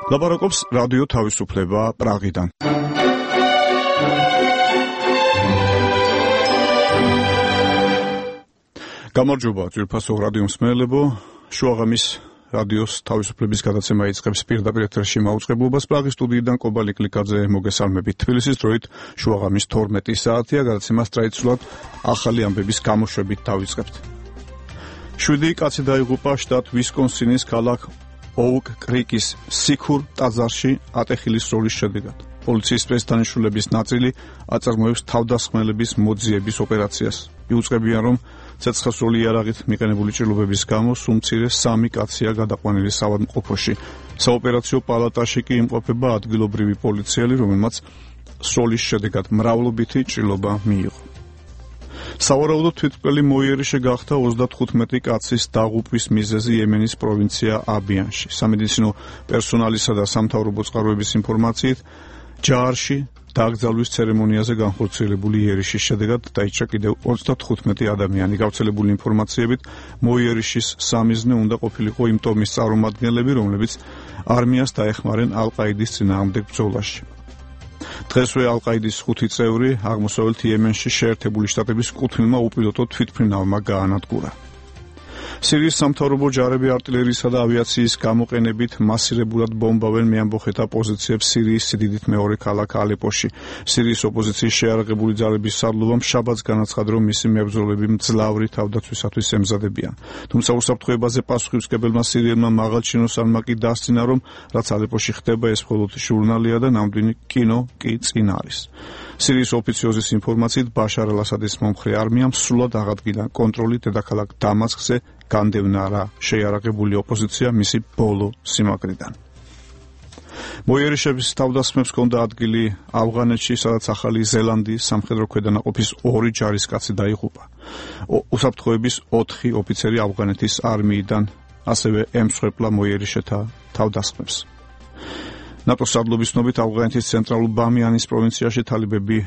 ლაპარაკობს რადიო თავისუფლება პრაღიდან. გამარჯობა ძვირფასო რადიო მსმენელებო, შუაღამის რადიოს თავისუფლების გადაცემა იწყებს პირდაპირ ეთერში მაუწყებლობას პრაღის სტუდიიდან კობალი კლიკაძე მოგესალმებით. თბილისის დროით შუაღამის 12 საათია, გადაცემას ტრადიციულად ახალი ამბების გამოშვებით დავიწყებთ. 7 კაცი დაიღუპა შტატ ვისკონსინის ქალაქ ოუკ კრიკის სიქურ ტაძარში ატეხილის სროლის შედეგად. პოლიციის სპეცდანიშნულების ნაწილი აწარმოებს თავდასხმელების მოძიების ოპერაციას. იუწყებიან, რომ ცეცხლსროლი იარაღით მიყენებული ჭრილობების გამო სულ მცირე 3 კაცია გადაყვანილი საავადმყოფოში. საოპერაციო პალატაში კი იმყოფება ადგილობრივი პოლიციელი, რომელმაც სროლის შედეგად მრავლობითი ჭრილობა მიიღო. სავარაუდოდ თვითმკვლელი მოიერიშე გახდა 35 კაცის დაღუპვის მიზეზი იემენის პროვინცია აბიანში. სამედიცინო პერსონალისა და სამთავრობო წყაროების ინფორმაციით, ჯაარში დაკრძალვის ცერემონიაზე განხორციელებული იერიშის შედეგად დაიჭრა კიდევ 35 ადამიანი. გავრცელებული ინფორმაციებით, მოიერიშის სამიზნე უნდა ყოფილიყო იმ ტომის წარმომადგენლები, რომლებიც არმიას დაეხმარნენ ალ-ყაიდის წინააღმდეგ ბრძოლაში. დღესვე ალ-ყაიდის 5 წევრი აღმოსავლეთ იემენში შეერთებული შტატების კუთვნილმა უპილოტო თვითმფრინავმა გაანადგურა. სირიის სამთავრობო ჯარები არტილერიისა და ავიაციის გამოყენებით მასირებულად ბომბავენ მეამბოხეთა პოზიციებს სირიის სიდიდით მეორე ქალაქ ალეპოში. სირიის ოპოზიციის შეიარაღებული ძალების სარდლობამ შაბათს განაცხადა, რომ მისი მებრძოლები მძლავრი თავდაცვისათვის ემზადებიან. თუმცა უსაფრთხოებაზე პასუხისმგებელმა სირიელმა მაღალჩინოსანმა კი დასცინა, რომ რაც ალეპოში ხდება, ეს მხოლოდ ჟურნალია და ნამდვილი კინო კი წინ არის. სირიის ოფიციოზის ინფორმაციით, ბაშარ ალ-ასადის მომხრე არმიამ სრულად აღადგინა კონტროლი დედაქალაქ დამასკზე, განდევნა შეიარაღებული ოპოზიცია მისი ბოლო სიმაგრიდან. მოიერიშების თავდასხმებს ჰქონდა ადგილი ავღანეთში, სადაც ახალი ზელანდიის სამხედრო ქვედანაყოფის 2 ჯარისკაცი დაიღუპა. უსაფრთხოების 4 ოფიცერი ავღანეთის არმიიდან ასევე ემსხვერპლა მოიერიშეთა თავდასხმებს. ნატოს სარდლობის ცნობით, ავღანეთის ცენტრალურ ბამიანის პროვინციაში თალიბები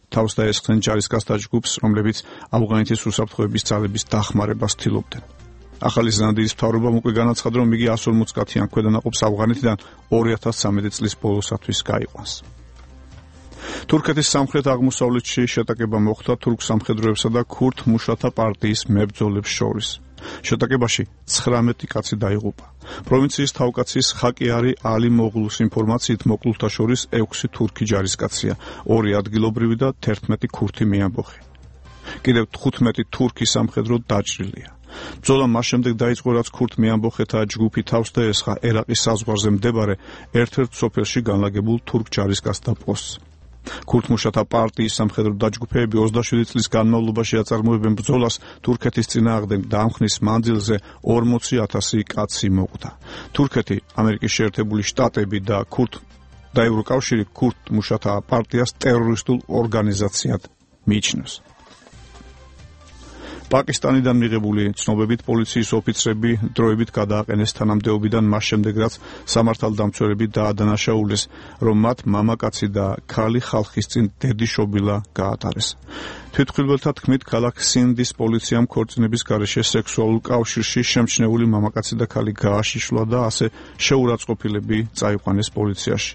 თავს დაესხნენ ჯარისკაცთა ჯგუფს, რომლებიც ავღანეთის უსაფრთხოების ძალების დახმარებას ცდილობდნენ. ახალი ზელანდიის მთავრობამ უკვე განაცხადა, რომ იგი 140 კაციან ქვედანაყოფს ავღანეთიდან 2013 წლის ბოლოსათვის გაიყვანს. თურქეთის სამხრეთ-აღმოსავლეთში შეტაკება მოხდა თურქ სამხედროებსა და ქურთ მუშათა პარტიის მებრძოლებს შორის. შეტაკებაში 19 კაცი დაიღუპა. პროვინციის თავკაცის ხაკიარი ალი მოღლუს ინფორმაციით, მოკლულთა შორის 6 თურქი ჯარისკაცია, 2 ადგილობრივი და 11 ქურთი მეამბოხი. კიდევ 15 თურქი სამხედრო დაჭრილია. ბრძოლა მას შემდეგ დაიწყო, რაც ქურთ მეამბოხეთა ჯგუფი თავს დაესხა ერაყის საზღვარზე მდებარე ერთ-ერთ სოფელში განლაგებულ თურქ ჯარისკაცთა პოსტს. ქურთ მუშათა პარტიის სამხედრო დაჯგუფებები 27 წლის განმავლობაში აწარმოებენ ბრძოლას თურქეთის წინააღმდეგ და ამ ხნის მანძილზე 40,000 კაცი მოკვდა. თურქეთი, ამერიკის შეერთებული შტატები და ევროკავშირი ქურთ მუშათა პარტიას ტერორისტულ ორგანიზაციად მიიჩნევს. პაკისტანიდან მიღებული ცნობებით, პოლიციის ოფიცრები დროებით გადააყენეს თანამდებობიდან მას შემდეგ, რაც სამართალდამცველები დაადანაშაულეს, რომ მათ მამაკაცი და ქალი ხალხის წინ დედიშობილა გაატარეს. თვითმხილველთა თქმით, ქალაქ სინდის პოლიციამ ქორწინების გარეშე სექსუალურ კავშირში შემჩნეული მამაკაცი და ქალი გააშიშლა და ასე შეურაცხყოფილები წაიყვანეს პოლიციაში.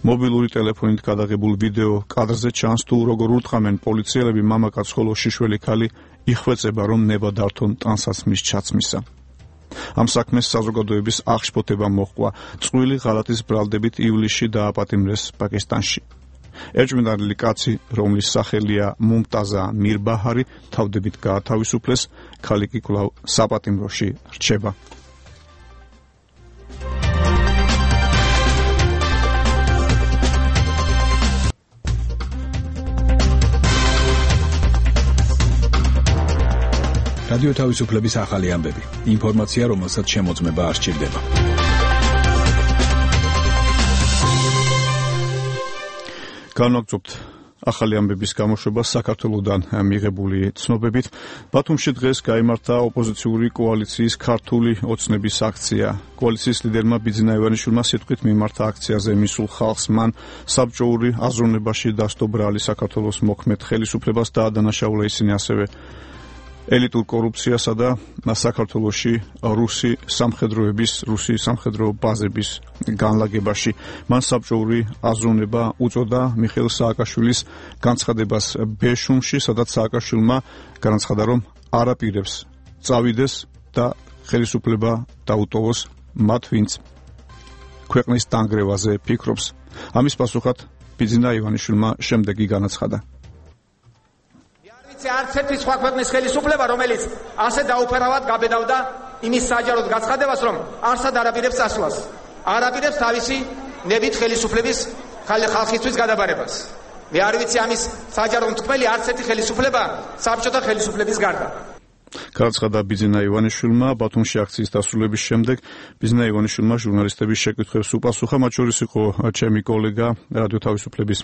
მობილური ტელეფონით გადაღებულ ვიდეო კადრზე ჩანს, თუ როგორ ურტყამენ პოლიციელები მამაკაცს, ხოლო შიშველი ქალი იხვეწება, რომ ნება დართონ ტანსაცმლის ჩაცმისა. ამ საქმეს საზოგადოების აღშფოთება მოჰყვა. წყვილი ღალატის ბრალდებით ივლისში დააპატიმრეს პაკისტანში. ერჭმინდელი კაცი, რომლის სახელია მუმტაზა მირბაჰარი, თავდებით გაათავისუფლეს, ქალი კი კვლავ საპატიმროში რჩება. რადიო თავისუფლების ახალი ამბები. ინფორმაცია, რომელსაც შემოწმება არ სჭირდება. განვაგრძობთ ახალი ამბების გამოშვება საქართველოსთან მიღებული ცნობებით. ბათუმში დღეს გაიმართა ოპოზიციური კოალიციის ქართული ოცნების აქცია. კოალიციის ლიდერმა ბიძინა ივანიშვილმა სიტყვით მიმართა აქციაზე მისულ ხალხს, მან საბჭოური აზროვნებაში დასტო ბრალი საქართველოს მოქმედ ხელისუფლებას დაადანაშაულა. ისინი ასევე ელიტურ კორუფციასა და საქართველოში რუსი სამხედრო ბაზების განლაგებაში. მან საბჭოური აზროვნება უწოდა მიხეილ სააკაშვილის განცხადებას ბეშუმში, სადაც სააკაშვილმა განაცხადა, რომ არაპირებს წავიდეს და ხელისუფლება დაუტოვოს მათ, ვინც ქვეყნის დანგრევაზე ფიქრობს. ამის პასუხად ბიძინა ივანიშვილმა შემდეგი განაცხადა. არც ერთი სხვა ქვეყნის ხელისუფლება, რომელიც ასე დაუფარავად გაბედავდა იმის საჯაროდ გაცხადებას, რომ არსად არაპირებს წასვლას, არაპირებს თავისი ნებით ხელისუფლების ხალხისთვის გადაბარებას. მე არ ვიცი ამის საჯარო მწმელი არც ერთი ხელისუფლება საბჭოთა ხელისუფლების გარდა. განაცხადა ბიძინა ივანიშვილმა ბათუმში აქციის დასრულების შემდეგ. ბიძინა ივანიშვილმა ჟურნალისტების შეკითხვებს უპასუხა, მათ შორის იყო ჩემი კოლეგა რადიო თავისუფლების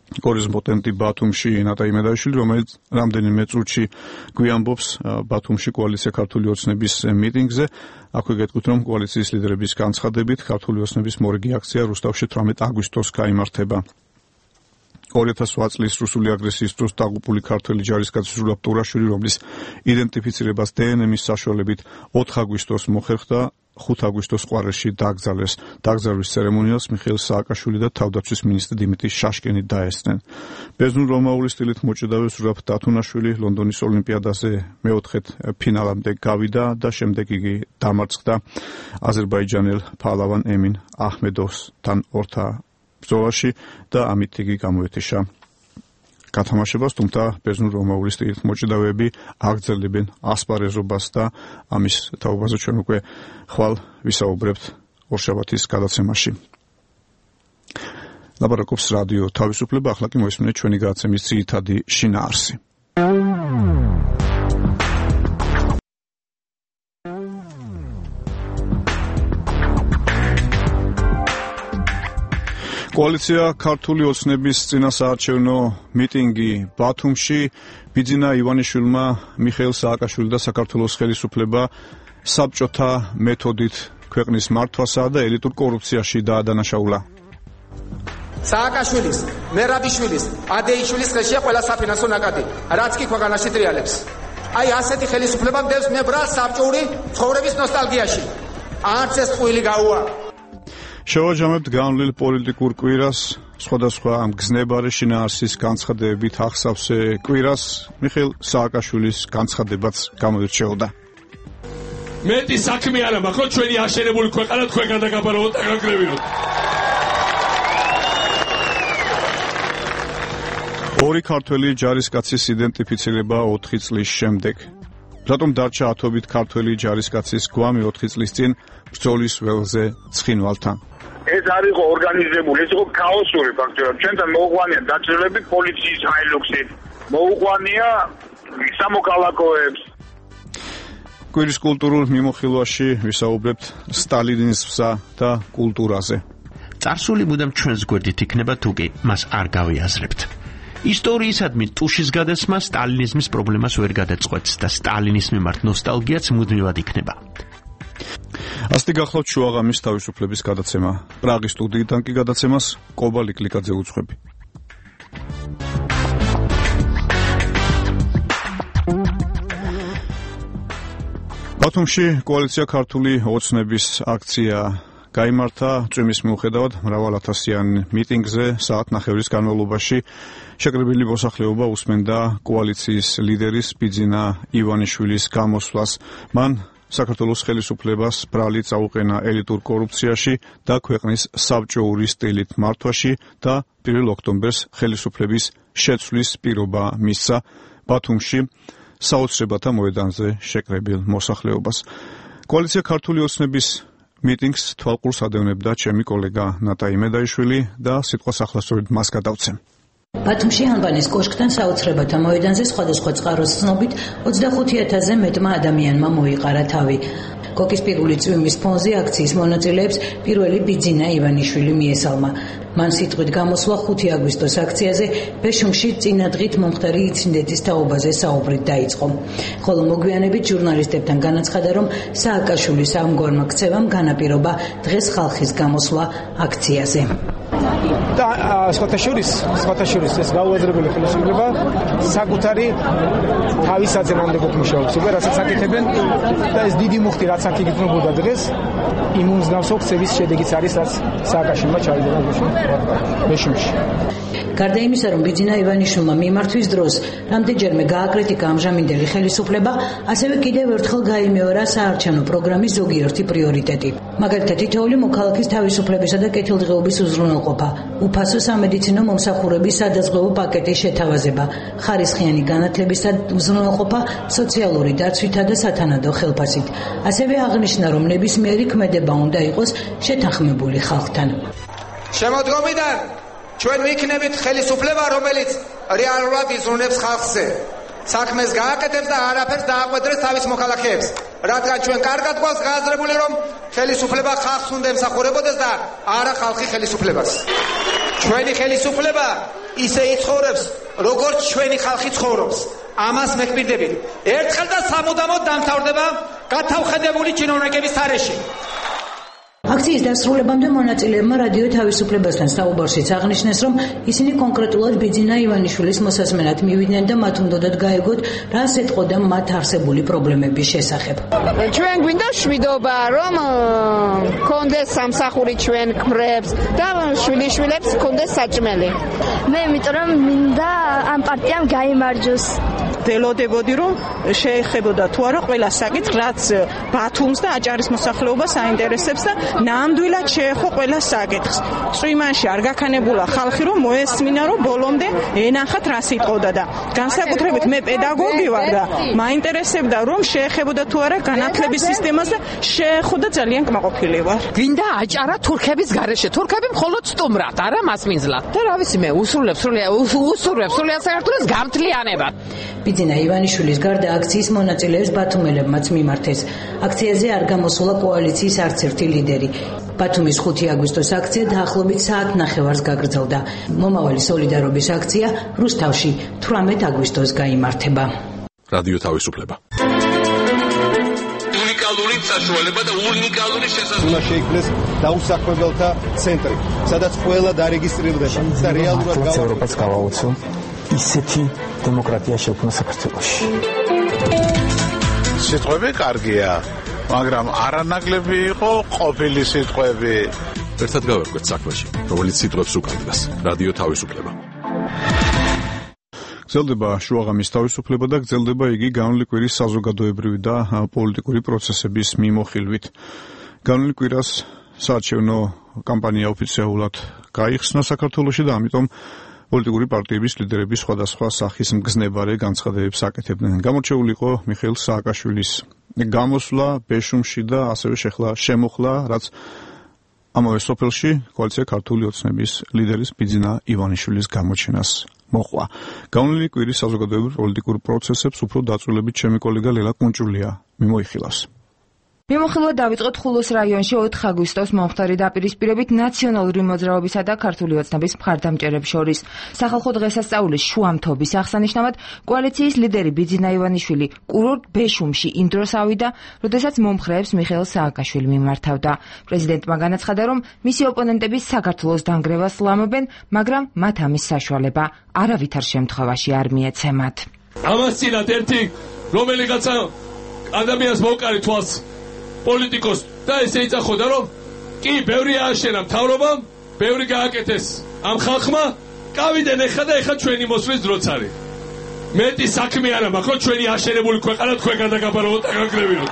კორესპონდენტი ბათუმში ნატა იმედაშვილი, რომელიც რამდენიმე წუთში გვიამბობს ბათუმში კოალიცია ქართული ოცნების მიტინგზე. აქვე გეტყვით, რომ კოალიციის ლიდერების განცხადებით ქართული ოცნების მორიგი აქცია რუსთავში 18 აგვისტოს გაიმართება. 2008 წლის რუსული აგრესიის დროს დაღუპული ქართველი ჯარისკაცი ზურაბ ტურაშვილი, რომლის იდენტიფიცირებას დნმ-ის საშუალებით 4 აგვისტოს მოხერხდა, 5 აგვისტოს ყვარელში დაკრძალეს. დაკრძალვის ცერემონიალს მიხეილ სააკაშვილი და თავდაცვის მინისტრი დიმიტრი შაშკენი დაესწრნენ. ბერძნულ-რომაული სტილით მოჭედავე ზურაბ დათუნაშვილი ლონდონის ოლიმპიადაზე მეოთხედ ფინალამდე გავიდა და შემდეგ იგი დამარცხდა აზერბაიჯანელ ფალავან ემინ აჰმედოვსთან ორთა ბრძოლაში და ამით იგი გამოეთიშა გათამაშებას, თუმცა ბერძნულ-რომაული სტილით მოჭედავეები აგრძელებენ ასპარეზობას და ამის თაობაზე ჩვენ უკვე ხვალ ვისაუბრებთ ორშაბათის გადაცემაში. ლაპარაკობს რადიო თავისუფლება, ახლა კი მოისმინეთ ჩვენი გადაცემის ძირითადი შინაარსი. კოალიცია ქართული ოცნების წინასაარჩევნო მიტინგი ბათუმში. ბიძინა ივანიშვილმა მიხეილ სააკაშვილი და საქართველოს ხელისუფლება საბჭოთა მეთოდით ქვეყნის მართვასა და ელიტურ კორუფციაში დაადანაშაულა. სააკაშვილის, მერაბიშვილის, ადეიშვილის ხელშია ყველა საფინანსო ნაკადი, რაც კი ქვეყანაში ტრიალებს. აი ასეთი ხელისუფლება მდევს მე ბრალს საბჭოური ცხოვრების ნოსტალგიაში. არც ეს ტყუილი გაუა. შევაჯამებთ განვლილ პოლიტიკურ კვირას, სხვადასხვა მგზნებარე შინაარსის განცხადებებით ახსავსე კვირას მიხეილ სააკაშვილის განცხადებაც გამოირჩეოდა. მეტი საქმე არა მაქვს, რომ ჩვენი აშენებული ქვეყანა თქვენგან დაგაბარავოთ და გაგრევინოთ. ორი ქართველი ჯარისკაცის იდენტიფიცირება 4 წლის შემდეგ. რატომ დარჩა ათობით ქართველი ჯარისკაცის გვამი 4 წლის წინ ბრძოლის ველზე ცხინვალთან? ეს არ იყო ორგანიზებული, ეს იყო ქაოსური ფაქტია. ჩვენთან მოუყვანია დაჭრილები პოლიციის ჰაილუქსით, მოუყვანია სამოქალაქოებს. კვირის კულტურულ მიმოხილვაში ვისაუბრებთ სტალინიზმსა და კულტურაზე. წარსული მუდამ ჩვენს გვერდით იქნება, თუ კი მას არ გავიაზრებთ. ისტორიისადმი ტუშის გადასმა სტალინიზმის პრობლემას ვერ გადაწყვეტს და სტალინის მიმართ ნოსტალგიაც მუდმივად იქნება. ასეთი გახლავთ შუაღამის თავისუფლების გადაცემა. პრაღის სტუდიიდან კი გადაცემას კობა ლიკლიკაძე უძღვები. ბათუმში კოალიცია ქართული ოცნების აქცია გაიმართა. წვიმის მიუხედავად მრავალ ათასიან მიტინგზე საათნახევრის განმავლობაში შეკრებილი მოსახლეობა უსმენდა კოალიციის ლიდერის ბიძინა ივანიშვილის გამოსვლას. მან საქართველოს ხელისუფლებას ბრალი წაუყენა ელიტურ კორუფციაში და ქვეყნის საბჭოური სტილით მართვაში და 1 ოქტომბერს ხელისუფლების შეცვლის პირობა მისცა ბათუმში საოცრებათა მოედანზე შეკრებილ მოსახლეობას. კოალიცია ქართული ოცნების მიტინგს თვალყურს ადევნებდა ჩემი კოლეგა ნატა იმედაიშვილი და სიტყვას ახლა სწორედ მას გადავცემ. ბათუმში ანბანის კოშკთან საოცრებათა მოედანზე სხვადასხვა წყაროს ცნობით 25,000-ზე მეტმა ადამიანმა მოიყარა თავი. კოკის პირველი წვიმის ფონზე აქციის მონაწილეებს პირველი ბიძინა ივანიშვილი მიესალმა. მან სიტყვით გამოსვლა 5 აგვისტოს აქციაზე ბეშუმში წინა დღით მომხდარი ინციდენტის თაობაზე საუბრით დაიწყო. ხოლო მოგვიანებით ჟურნალისტებთან განაცხადა, რომ სააკაშვილის ამგვარმა ქცევამ განაპირობა დღეს ხალხის გამოსვლა აქციაზე. და სხვათა შორის ეს გაუაზრებელი ხელისუფლება საკუთარი თავის აზრამდე მუშაობს, რასაც აკეთებენ და ეს დიდი მუხტი რაც აქ იგრძნობოდა დღეს იმ მსგავსო ქცევის შედეგიც არის, რაც სააკაშვილმა ჩაიდენა ბეშუმში. გარდა იმისა, რომ ბიძინა ივანიშვილმა მიმართვის დროს რამდენჯერმე გააკრიტიკა ამჟამინდელი ხელისუფლება, ასევე კიდევ ერთხელ გაიმეორა საარჩევნო პროგრამის ზოგიერთი პრიორიტეტი. მაგალითად, თითოეული მოქალაქის თავისუფლებისა და კეთილდღეობის უზრუნველყოფა, უფასო სამედიცინო მომსახურების სადაზღვევო პაკეტის შეთავაზება, ხარისხიანი განათლებისა უზრუნველყოფა სოციალური დაცვითა და სათანადო ხელფასით. ასევე აღნიშნა, რომ ნებისმიერი ქმედება უნდა იყოს შეთანხმებული ხალხთან. შემოდგომიდან ჩვენ ვიქნებით ხელისუფლება, რომელიც რეალურად იზრუნებს ხალხზე. საქმეს გააკეთებს და არაფერს დააყვედრებს თავის მოქალაქეებს. რადგან ჩვენ კარგად გვაქვს გააზრებული, რომ ხელისუფლება ხალხს უნდა ემსახურებოდეს და არა ხალხი ხელისუფლებას. ჩვენი ხელისუფლება ისე იცხოვრებს, როგორც ჩვენი ხალხი ცხოვრობს. ამას მეკპირდებით. ერთხელ და სამუდამოდ დამთავრდება გათავხედებული ჩინოვნიკების თარეში. აქციის დასრულებამდე მონაწილეებმა რადიო თავისუფლებასთან საუბარშიც აღნიშნეს, რომ ისინი კონკრეტულად ბიძინა ივანიშვილის მოსაზმენად მივიდნენ და მათ უნდათ გაეგოთ, რას ეტყოდა მათ არსებული პრობლემების შესახებ. ჩვენ გვინდა შვიდობა, რომ კონდეს სამსახური ჩვენ ქმრებს და შვილიშვილებს კონდეს საჭმელი. მე იმიტომ რომ მინდა ამ პარტიამ გაიმარჯოს. ველოდებოდი, რომ შეეხებოდა თუ არა ყველა საკითხს, რაც ბათუმს და აჭარის მოსახლეობას აინტერესებს და ნამდვილად შეეხო ყველა საკითხს. წვიმანში არ გაქანებულა ხალხი, რომ მოესმინა, რომ ბოლომდე ენახათ რა სიტყოდა და განსაკუთრებით მე პედაგოგი ვარ და მაინტერესებდა, რომ შეეხებოდა თუ არა განათლების სისტემას და შეეხო და ძალიან კმაყოფილი ვარ. გვინდა აჭარა თურქების გარეშე. თურქები მხოლოდ სტუმრად, არა მასმინძლად. და რა ვიცი მე, usურვებს სრულიად საერთოდ გამთლიანებად. ბიძინა ივანიშვილის გარდა აქციის მონაწილეებს ბათუმელებმაც მიმართეს. აქციაზე არ გამოსულა კოალიციის არც ერთი ლიდერი. ბათუმის 5 აგვისტოს აქცია დაახლოებით საათ ნახევარს გაგრძელდა. მომავალი სოლიდარობის აქცია რუსთავში 18 აგვისტოს გაიმართება. რადიო თავისუფლება. უნიკალური საშუალება და უნიკალური შესაძლებლობა. უნდა შეიქმნეს დაუსაქმებელთა ცენტრი, სადაც ყველა დარეგისტრირდება და რეალურად ევროპას გავაუწევ ისეთი დემოკრატია შექმნა საქართველოში. სიტყვები კარგია, მაგრამ არანაკლები იყო ყოფილი სიტყვები. ერთად გავერკვეთ საქმეში, რომელიც სიტყვებს უკავშირდება. რადიო თავისუფლება. გრძელდება შუაღამის თავისუფლება და გრძელდება იგი განვლილი კვირის საზოგადოებრივი და პოლიტიკური პროცესების მიმოხილვით. განვლილი კვირას საარჩევნო კამპანია ოფიციალურად გაიხსნა საქართველოში და ამიტომ პოლიტიკური პარტიების ლიდერები სხვადასხვა სახის მგზნებარე განცხადებებს აკეთებდნენ. გამორჩეული იყო მიხეილ სააკაშვილის გამოსვლა ბეშუმში და ასევე შემოხლა, რაც ამავე სოფელში კოალიცია ქართული ოცნების ლიდერის ბიძინა ივანიშვილის გამოჩენას მოყვა. განვლილი კვირის საზოგადოებრივ პოლიტიკურ პროცესებს უფრო დაწვრილებით ჩემი კოლეგა ლელა კუნჭულია მიმოიხილავს. მიმოხილვა დავიწყოთ ხულოს რაიონში 4 აგვისტოს მომხდარი დაპირისპირებით ნაციონალური მოძრაობისა და ქართული ოცნების მხარდამჭერებს შორის. სახალხო დღესასწაულის შუამთობის აღსანიშნავად კოალიციის ლიდერი ბიძინა ივანიშვილი კურორტ ბეშუმში იმ დროს ავიდა, როდესაც მომხრეებს მიხეილ სააკაშვილი მიმართავდა. პრეზიდენტმა განაცხადა, რომ მისი ოპონენტები საქართველოს დანგრევას ლამობენ, მაგრამ მათ ამის საშუალება არავითარ შემთხვევაში არ მიეცემათ. ამას წინათ ერთი რომელიღაცა ადამიანს მოვკარი თვალს პოლიტიკოს და ესე იწახოდა, რომ კი ბევრი ააშენა მთავრობამ, ბევრი გააკეთეს ამ ხალხმა, კავიდან ეხა ჩვენი მოსვლის დროც არის. მეტი საქმე არა მაქვს, რომ ჩვენი აშენებული ქვეყანა თქვენგან დაგაბარავოთ და გაგრევინოთ.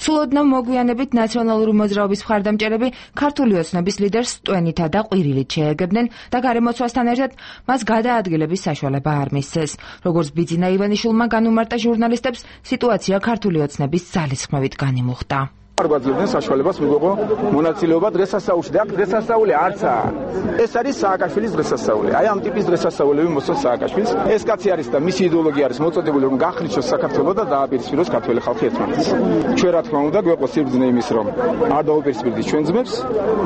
სულოდნო მოგვიანებით ნაციონალური მოძრაობის მხარდამჭერები ქართული ოცნების ლიდერს ტვენითა და ყვირილით შეეგებდნენ და გარემოცვასთან ერთად მას გადაადგილების საშუალება არ მისცეს. როგორც ბიძინა ივანიშვილმა განუმარტა ჟურნალისტებს, სიტუაცია ქართული ოცნების ძალისხმევით განიმუხტა. არ გვაძლევდნენ საშუალებას მიგვიღო მონაწილეობა დღესასწაულში და დღესასწაული არცაა. ეს არის სააკაშვილის დღესასწაული. აი ამ ტიპის დღესასწაულები მოსწონს სააკაშვილს. ეს კაცი არის და მისი იდეოლოგია არის მოწოდებული, რომ გახრიჩოს საქართველო და დააპირისპიროს ქართველი ხალხი ერთმანეთს. ჩვენ რა თქმა უნდა გვეყო სიბრძნე იმის, რომ არ დაუპირისპირდით ჩვენ ძმებს,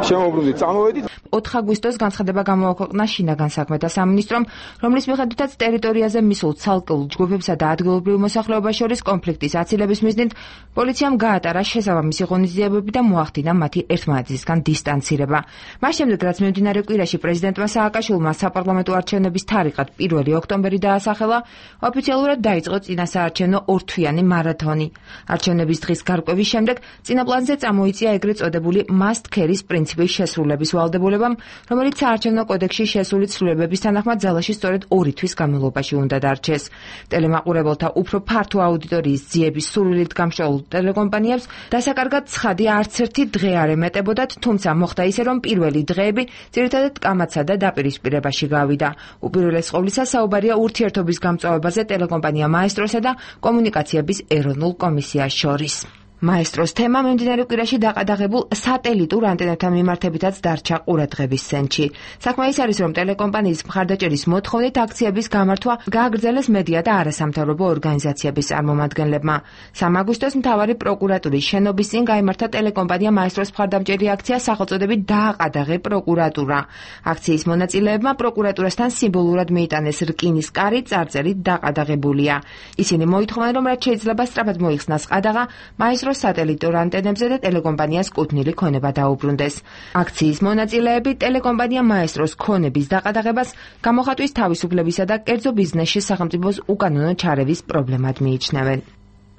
შემოუბრუნდით, წამოვედით. 4 აგვისტოს განცხადება გამოაქვეყნა შინაგან საქმეთა სამინისტრომ, რომლის მიხედვითაც ტერიტორიაზე მისულ ცალკეულ ჯგუფებსა და ადგილობრივ მოსახლეობას შორის კონფლიქტის აცილების მიზნით პოლიციამ გაატარა შესაბამისი სიღონისძიებები და მოახდინა მათი ერთმანეთისგან დისტანცირება. მას შემდეგ, რაც მიმდინარე კვირაში პრეზიდენტმა სააკაშვილმა საპარლამენტო არჩევნების თარიღად 1 ოქტომბერი დაასახელა, ოფიციალურად დაიწყო წინასაარჩევნო ორთვიანი მარათონი. არჩევნების დღის გარკვევის შემდეგ წინა პლანზე წამოიწია ეგრეთ წოდებული must carry-ის პრინციპის შესრულების ვალდებულებამ, რომელიც საარჩევნო კოდექსში შესული ცვლილებების თანახმად ძალაში სწორედ 2 თვის განმავლობაში უნდა დარჩეს. ტელემაყურებელთა უფრო ფართო აუდიტორიის ძიების სურვილით გამშვალულ ტელეკომპანიებს დასაკარგად ცხადი არც ერთი დღე არ ემეტებოდათ, თუმცა მოხდა ისე, რომ პირველი დღეები ძირითადად კამათსა და დაპირისპირებაში გავიდა. უპირველეს ყოვლისა საუბარია ურთიერთობის გამწვავებაზე ტელეკომპანია მაესტროსა და კომუნიკაციების ეროვნულ კომისიას შორის. მაესტროს თემა მიმდინარე კვირაში დაყადაღებულ სატელიტურ ანტენებთან მიმართებითაც დარჩა ყურადღების ცენტრში. საქმე ის არის, რომ ტელეკომპანიის მხარდაჭერის მოთხოვნით აქციების გამართვა გააგრძელეს მედია და არასამთავრობო ორგანიზაციების წარმომადგენლებმა. 3 აგვისტოს მთავარი პროკურატურის შენობის წინ გაიმართა ტელეკომპანია მაესტროს მხარდამჭერი აქცია სახელწოდებით დააყადაღე პროკურატურა. აქციის მონაწილეებმა პროკურატურასთან სიმბოლურად მიიტანეს რკინის კარი წარწერით დაყადაღებულია. ისინი მოითხოვენ, რომ რაც შეიძლება სწრაფად მოიხსნას ყადაღა მაესტროს სატელიტურ ანტენებზე და ტელეკომპანიას კუთვნილი ქონება დაუბრუნდეს. აქციის მონაწილეები ტელეკომპანია მაესტროს ქონების დაყადაღებას გამოხატვის თავისუფლებისა და კერძო ბიზნესში სახელმწიფოს უკანონო ჩარევის პრობლემად მიიჩნევენ.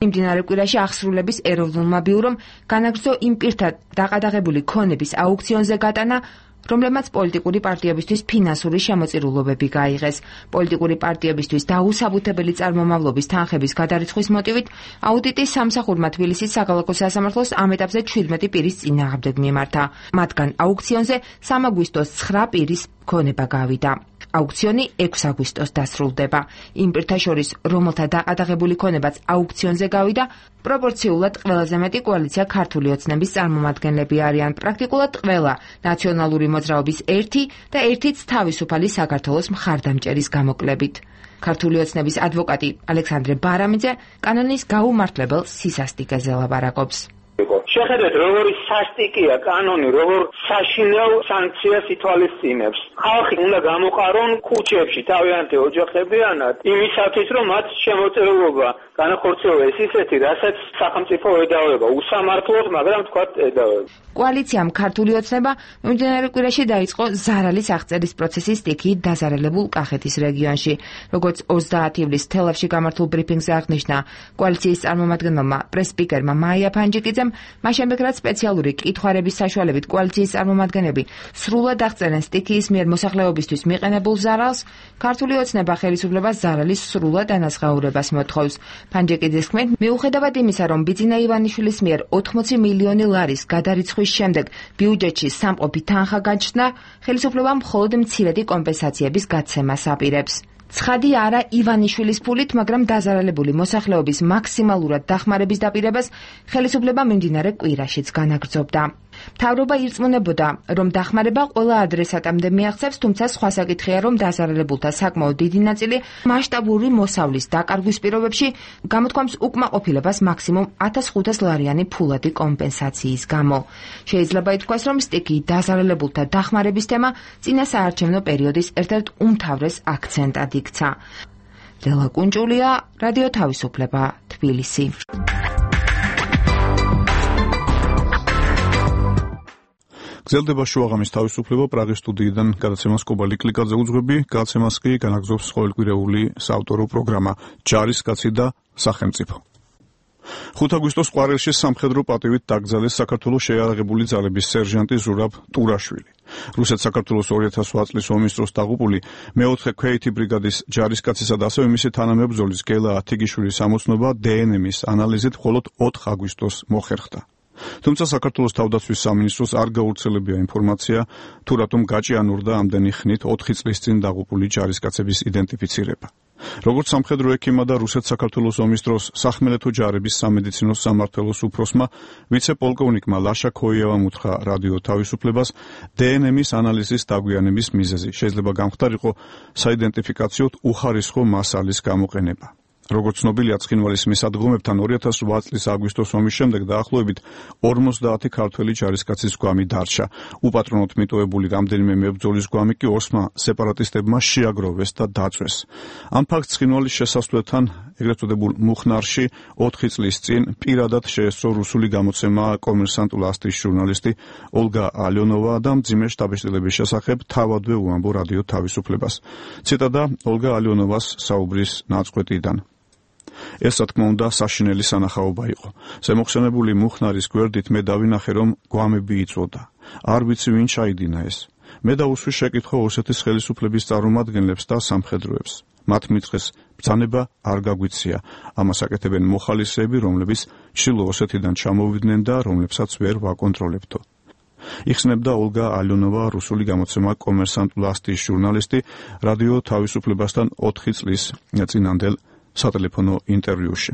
მიმდინარე კვირაში აღსრულების ეროვნულმა ბიურომ განაგრძო იმ პირთა დაყადაღებული ქონების აუქციონზე გატანა, რომლებმაც პოლიტიკური პარტიებისთვის ფინანსური შემოწირულობები გაიღეს. პოლიტიკური პარტიებისთვის დაუსაბუთებელი წარმომავლობის თანხების გადარიცხვის მოტივით აუდიტი სამსახურმა თბილისის საქალაქო სასამართლოს ამ ეტაპზე 17 პირის წინააღმდეგ მიმართა. მათგან აუქციონზე 3 აგვისტოს 9 პირის ქონება გავიდა. აუქციონი 6 აგვისტოს დასრულდება. იმ პირთა შორის, რომელთა დაყადაღებული ქონებაც აუქციონზე გავიდა, პროპორციულად ყველაზე მეტი კოალიცია ქართული ოცნების წარმომადგენლები არიან. პრაქტიკულად ყველა ნაციონალური მოძრაობის ერთი და ერთიც თავისუფალი საქართველოს მხარდამჭერის გამოკლებით. ქართული ოცნების ადვოკატი ალექსანდრე ბარამიძე კანონის გაუმართლებელ სისასტიკეზე ლაპარაკობს. შეხედეთ, როგორი სასტიკია კანონი, როგორ საშინელ სანქციას ითვალისწინებს. ხალხი უნდა გამოყარონ ქუჩებში თავიანთი ოჯახებიანად, იმისათვის, რომ მათ შემოწირულობა განახორციელოს ისეთი, რასაც სახელმწიფო ედავება, უსამართლოდ, მაგრამ თქვათ ედავება. კოალიციამ ქართული ოცნება მიმდინარე კვირაში დაიწყო ზარალის აღწერის პროცესის სტიქიით დაზარალებულ კახეთის რეგიონში. როგორც 30 ივლისს თელავში გამართულ ბრიფინგზე აღნიშნა კოალიციის წარმომადგენელმა პრეს-სპიკერმა მაია ფანჯიკიძემ, მას შემდეგ რაც სპეციალური კითხვარების საშუალებით კოალიციის წარმომადგენლები სრულად აღწერენ სტიქიის მიერ მოსახლეობისთვის მიყენებულ ზარალს, ქართული ოცნება ხელისუფლებას ზარალის სრულად ანაზღაურებას მოთხოვს. ფანჯიკიძის თქმით, მიუხედავად იმისა, რომ ბიძინა ივანიშვილის მიერ 80 მილიონი ლარის გადარიცხვის შემდეგ ბიუჯეტში სამყოფი თანხა გაჩნდა, ხელისუფლებამ მხოლოდ მცირედი კომპენსაციების გაცემას აპირებს. ცხადი არა ივანიშვილის ფულით, მაგრამ დაზარალებული მოსახლეობის მაქსიმალურად დახმარების დაპირებას ხელისუფლება მიმდინარე კვირაშიც განაგრძობდა. მთავრობა ირწმუნებოდა, რომ დახმარება ყველა ადრესატამდე მიაღწევს, თუმცა სხვა საკითხია, რომ დაზარალებულთა საკმაოდ დიდი ნაწილი მასშტაბური მოსავლის დაკარგვის პირობებში გამოთქვამს უკმაყოფილებას მაქსიმუმ 1500 ლარიანი ფულადი კომპენსაციის გამო. შეიძლება ითქვას, რომ სტიქიით დაზარალებულთა დახმარების თემა წინა საარჩევნო პერიოდის ერთ-ერთ უმთავრეს აქცენტად იქცა. ლელა კუნჭულია, რადიო თავისუფლება, თბილისი. გრძელდება შუაღამის თავისუფლება პრაღის სტუდიიდან გადაცემას კობა ლიკლიკაძე უძღვები, გადაცემას კი განაგრძობს ყოველკვირეული საავტორო პროგრამა ჯარისკაცი და სახელმწიფო. 5 აგვისტოს ყვარელში სამხედრო პატივით დაკრძალეს საქართველოს შეიარაღებული ძალების სერჟანტი ზურაბ ტურაშვილი. რუსეთ-საქართველოს 2008 წლის ომის დროს დაღუპული მე-4 ქვეითი ბრიგადის ჯარისკაცისა და ასევე მისი თანამებრძოლის გელა ათიგიშვილის ამოცნობა დნმ-ის ანალიზით მხოლოდ 4 აგვისტოს მოხერხდა. თუმცა საქართველოს თავდაცვის სამინისტროს არ გავრცელებია ინფორმაცია, თუ რატომ გაჭიანურდა ამდენი ხნით 4 წლის წინ დაღუპული ჯარისკაცების იდენტიფიცირება. როგორც სამხედრო ექიმა და რუსეთ-საქართველოს ომის დროს სახმელეთო ჯარების სამედიცინო სამმართველოს უფროსმა, ვიცე-პოლკოვნიკმა ლაშა ქოიევამ უთხრა რადიო თავისუფლებას დნმ-ის ანალიზის დაგვიანების მიზეზი. შეიძლება გამხდარიყო საიდენტიფიკაციოდ უხარისხო მასალის გამოყენება. როგორც ცნობილია, ცხინვალის მისადგომებთან 2008 წლის აგვისტოს ომის შემდეგ დაახლოებით 50 ქართველი ჯარისკაცის გვამი დარჩა. უპატრონოდ მიტოვებული რამდენიმე მებრძოლის გვამი კი ორსმა სეპარატისტებმა შეაგროვეს და დაწვეს. ამ ფაქტს ცხინვალის შესასვლელთან ეგრეთ წოდებულ მუხნარში 4 წლის წინ პირადად შეესწრო რუსული გამოცემა კომერსანტულ ასტის ჟურნალისტი ოლგა ალიონოვა და მძიმე შთაბეჭდილების შესახებ თავადვე უამბო რადიო თავისუფლებას. ციტატა ოლგა ალიონოვას საუბრის ნაწყვეტიდან. ეს რა თქმა უნდა საშინელი სანახაობა იყო. ზემოხსენებული მუხნარის გვერდით მე დავინახე რომ გვამები იწვოდა. არ ვიცი ვინ ჩაიდინა ეს. მე დაუსვი შეკითხვა ოსეთის ხელისუფლების წარმომადგენლებს და სამხედროებს. მათ მიწეს ბრძანება არ გაგვიცია. ამას აკეთებენ მოხალისეები, რომლებიც ჩრდილო ოსეთიდან ჩამოვიდნენ და რომლებსაც ვერ ვაკონტროლებდო. იხსნებდა ოლგა ალიონოვა რუსული გამოცემა კომერსანტულ ასტის ჟურნალისტი რადიო თავისუფლებასთან 4 წლის წინანდელ სატელეფონო ინტერვიუში.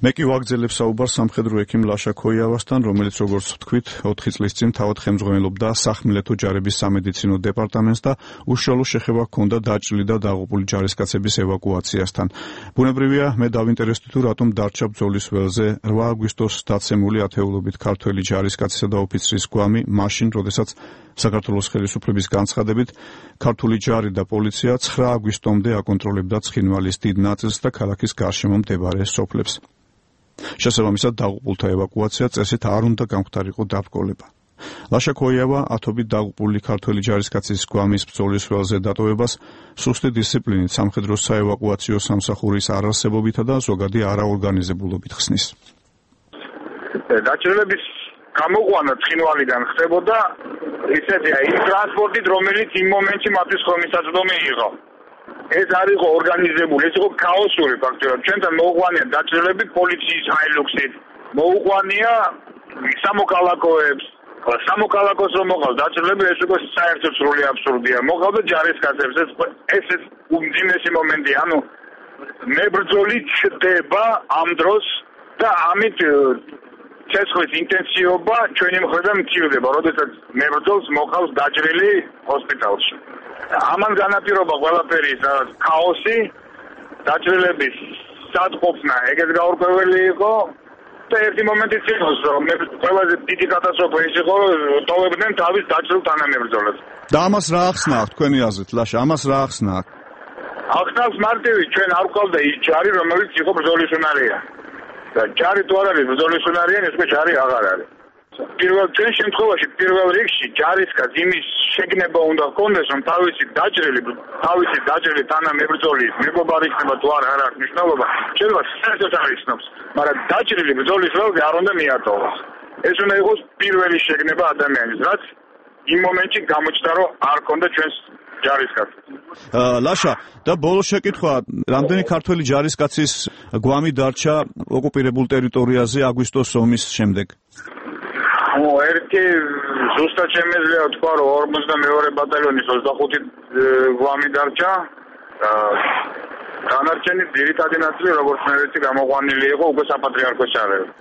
მე კი ვაგრძელებ საუბარს სამხედრო ექიმ ლაშა ქოიავასთან, რომელიც როგორც ვთქვით, 4 წლის წინ თავად ხელმძღვანელობდა სახმელეთო ჯარების სამედიცინო დეპარტამენტს და უშუალო შეხება ჰქონდა დაჭრილი და დაღუპული ჯარისკაცების ევაკუაციასთან. ბუნებრივია, მე დავინტერესდი თუ რატომ დარჩა ბრძოლის ველზე 8 აგვისტოს დაცემული ათეულობით ქართველი ჯარისკაცისა და ოფიცრის გვამი, მაშინ, როდესაც საქართველოს ხელისუფლების განცხადებით, ქართული ჯარი და პოლიცია 9 აგვისტომდე აკონტროლებდა ცხინვალის დიდ ნაწილს და ქალაქის გარშემო მდებარე სოფლებს. შესაბამისად, დაღუპულთა ევაკუაცია წესით არ უნდა გამختارიყო დაბრკოლება. ლაშა ქოიავა ათობით დაღუპული ქართველი ჯარისკაცის გვამის ბრძოლის ველზე დატოვებას სუსტი დისციპლინით სამხედრო საევაკუაციო სამსახურის არარსებობითა და ზოგადი არაორგანიზებულობით ხსნის. დაჭრილების გამოყვანა ცხინვალიდან ხდებოდა ისეთი იმ ტრანსპორტით, რომელიც იმ მომენტში მათთვის ხომისაწვდომი იყო. ეს არ იყო ორგანიზებული, ეს იყო ქაოსური ფაქტია. ჩვენთან მოუყვანია დაჭრილები პოლიციის ჰაილუქსით, მოუყვანია სამოქალაქოებს. სამოქალაქოს რომ მოყავს დაჭრილები, ეს უკვე საერთოდ სრული აბსურდია. მოყავდა ჯარისკაცებს, ეს უმძიმესი მომენტია. ანუ მებრძოლი ჩდება ამ დროს და ამით ცეცხლის ინტენსივობა ჩვენი მხრიდან მცირდება, როდესაც მებრძოლს მოყავს დაჭრილი ჰოსპიტალში. ამან განაპირობა ყველაფერი ქაოსი, დაჭრილების სათყოფნა ეგეც გაურკვეველი იყო და ერთი მომენტიც იყო, რომ ყველაზე დიდი კატასტროფა ის იყო, რომ ტოვებდნენ თავის დაჭრილ თანამებრძოლებს. და ამას რა ახსნა აქვს თქვენი აზრით, ლაშა, ამას რა ახსნა აქვს? ახსნავს მარტივი, ჩვენ არ გვყავდა ის ჯარი, რომელიც იყო ბრძოლის უნარია. და ჯარი თუ არ არის ბრძოლის უნარიანი, ეს ჯარი აღარ არის. ჩვენ შემთხვევაში პირველ რიგში ჯარისკაც იმის შეგნება უნდა ჰქონდეს, რომ თავისი დაჭრილი თანამებრძოლის მეგობარი იქნება თუ არ აქვს მნიშვნელობა, შეიძლება საერთოდ არ იცნობს, მაგრამ დაჭრილი ბრძოლის ველზე არ უნდა მიატოვოს. ეს უნდა იყოს პირველი შეგნება ადამიანის, რაც იმ მომენტში გამოჩნდა, რომ არ ჰქონდა ჩვენს ჯარისკაცს. ლაშა, და ბოლო შეკითხვა, რამდენი ქართველი ჯარისკაცის გვამი დარჩა ოკუპირებულ ტერიტორიაზე აგვისტოს ომის შემდეგ? ერთი ზუსტად შემეძლია თქვა, რომ 42 ბატალიონის 25 გვამი დარჩა. დანარჩენი ძირითადი ნაწილი, როგორც მე ვიცი, გამოყვანილი იყო უკვე საპატრიარქოს ჯარებს.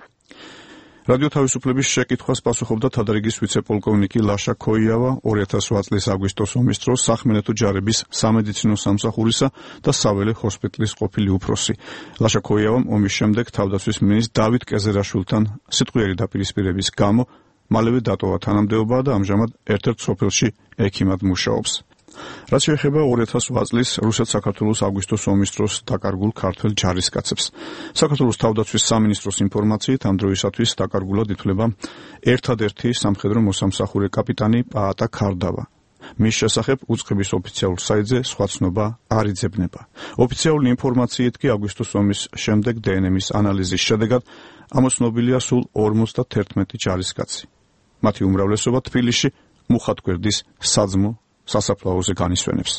რადიო თავისუფლების შეკითხვას პასუხობდა თადრიგის ვიცე-პოლკოვნიკი ლაშა ქოიავა 2008 წლის აგვისტოს ომის დროს სახმელეთო ჯარების სამედიცინო სამსახურისა და საველე ჰოსპიტალის ყოფილი უფროსი. ლაშა ქოიავამ ომის შემდეგ თავდაცვის მინისტრ დავით კეზერაშვილთან სიტყვიერი დაპირისპირების გამო მალევე დატოვა თანამდებობა და ამჟამად ერთ-ერთ სოფელში ექიმად მუშაობს. რაც შეეხება 2008 წლის რუსეთ-საქართველოს აგვისტოს ომის დროს დაკარგულ ქართველ ჯარისკაცებს. საქართველოს თავდაცვის სამინისტროს ინფორმაციით ამ დროისათვის დაკარგულად ითვლება ერთადერთი სამხედრო მოსამსახურე კაპიტანი პაატა ქარდავა. მის შესახებ უწყების ოფიციალურ საიტზე სხვა ცნობა არ იძებნება. ოფიციალური ინფორმაციით კი აგვისტოს ომის შემდეგ დნმ-ის ანალიზის შედეგად ამოცნობილია სულ 51 ჯარისკაცი. მათი უმრავლესობა თბილისში მუხათგვერდის საძმო სასაფლაოზე განისვენებს.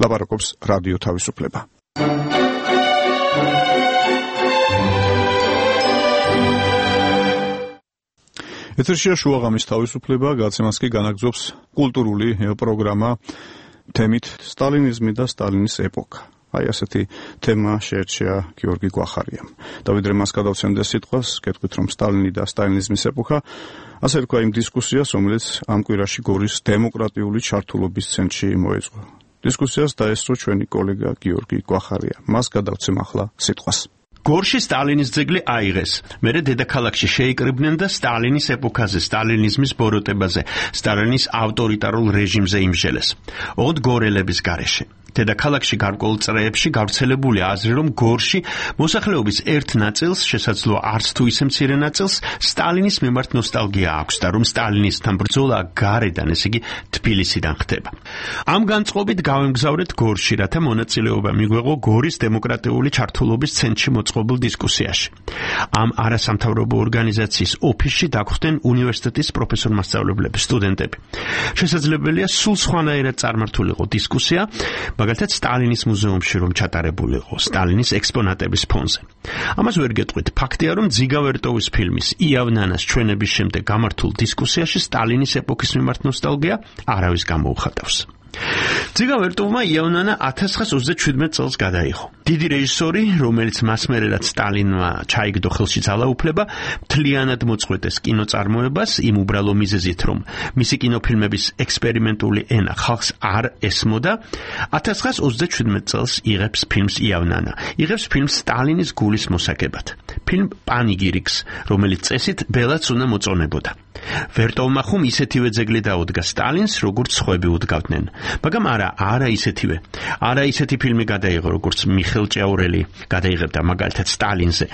ლაპარაკობს რადიო თავისუფლება. ეთერშია შუაღამის თავისუფლება, გადაცემას კი განაგრძობს კულტურული პროგრამა თემით სტალინიზმი და სტალინის ეპოქა. აი ასეთი თემა შეერჩია გიორგი გვახარიამ. და ვიდრე მას გადავცემდეს სიტყვას, გეტყვით რომ სტალინი და სტალინიზმის ეპოქა, ასე რქვა იმ დისკუსიას, რომელიც ამ კვირაში გორის დემოკრატიული ჩართულობის ცენტრში მოეწყო. დისკუსიას დაესწრო ჩვენი კოლეგა გიორგი გვახარია. მას გადავცემ ახლა სიტყვას. გორში სტალინის ძეგლი აიღეს. მერე დედაქალაქში შეიკრიბნენ და სტალინის ეპოქაზე, სტალინიზმის ბოროტებაზე, სტალინის ავტორიტარულ რეჟიმზე იმსჯელეს. ოღონდ გორელების გარეშე. დედაქალაქში გარკვეულ წრეებში გავრცელებული აზრი, რომ გორში მოსახლეობის ერთ ნაწილს, შესაძლოა არც თუ ისე მცირე ნაწილს, სტალინის მიმართ ნოსტალგია აქვს და რომ სტალინისთან ბრძოლა გარედან, ესე იგი თბილისიდან ხდება. ამ განწყობით გავემგზავრეთ გორში, რათა მონაწილეობა მიგვეღო გორის დემოკრატიული ჩართულობის ცენტრში მოწყობილ დისკუსიაში. ამ არასამთავრობო ორგანიზაციის ოფისში დაგვხვდნენ უნივერსიტეტის პროფესორ-მასწავლებლები, სტუდენტები. შესაძლებელია სულ სხვანაირად წარმართულიყო დისკუსია, მაგალითად სტალინის მუზეუმში რომ ჩატარებულიყო სტალინის ექსპონატების ფონზე. ამას ვერ გეტყვით, ფაქტია რომ ძიგა ვერტოვის ფილმის იავნანას ჩვენების შემდეგ გამართულ დისკუსიაში სტალინის ეპოქის მიმართ ნოსტალგია არავის გამოუხატავს. ძიგა ვერტოვმა იავნანა 1927 წელს გადაიღო. დიდი რეჟისორი, რომელიც მას მერერაც სტალინმა ჩაიგდო ხელში ძალაუფლება, მთლიანად მოწყვეტეს კინოწარმოებას იმ უბრალო მიზეზით, რომ მისი კინოფილმების ექსპერიმენტული ენა ხალხს არ ესმოდა. 1927 წელს იღებს ფილმს იავნანა. იღებს ფილმს სტალინის გულის მოსაგებად. ფილმ პანიგირიკს, რომელიც წესით ბელაც უნდა მოწონებოდა. ვერტოვმა ხომ ისეთივე ძეგლი დაუდგა სტალინს, როგორც სხვები უდგავდნენ. მაგრამ არა ისეთივე. არა ისეთი ფილმი გადაიღო, როგორც მიხეილ ჭიაურელი გადაიღებდა მაგალითად სტალინზე.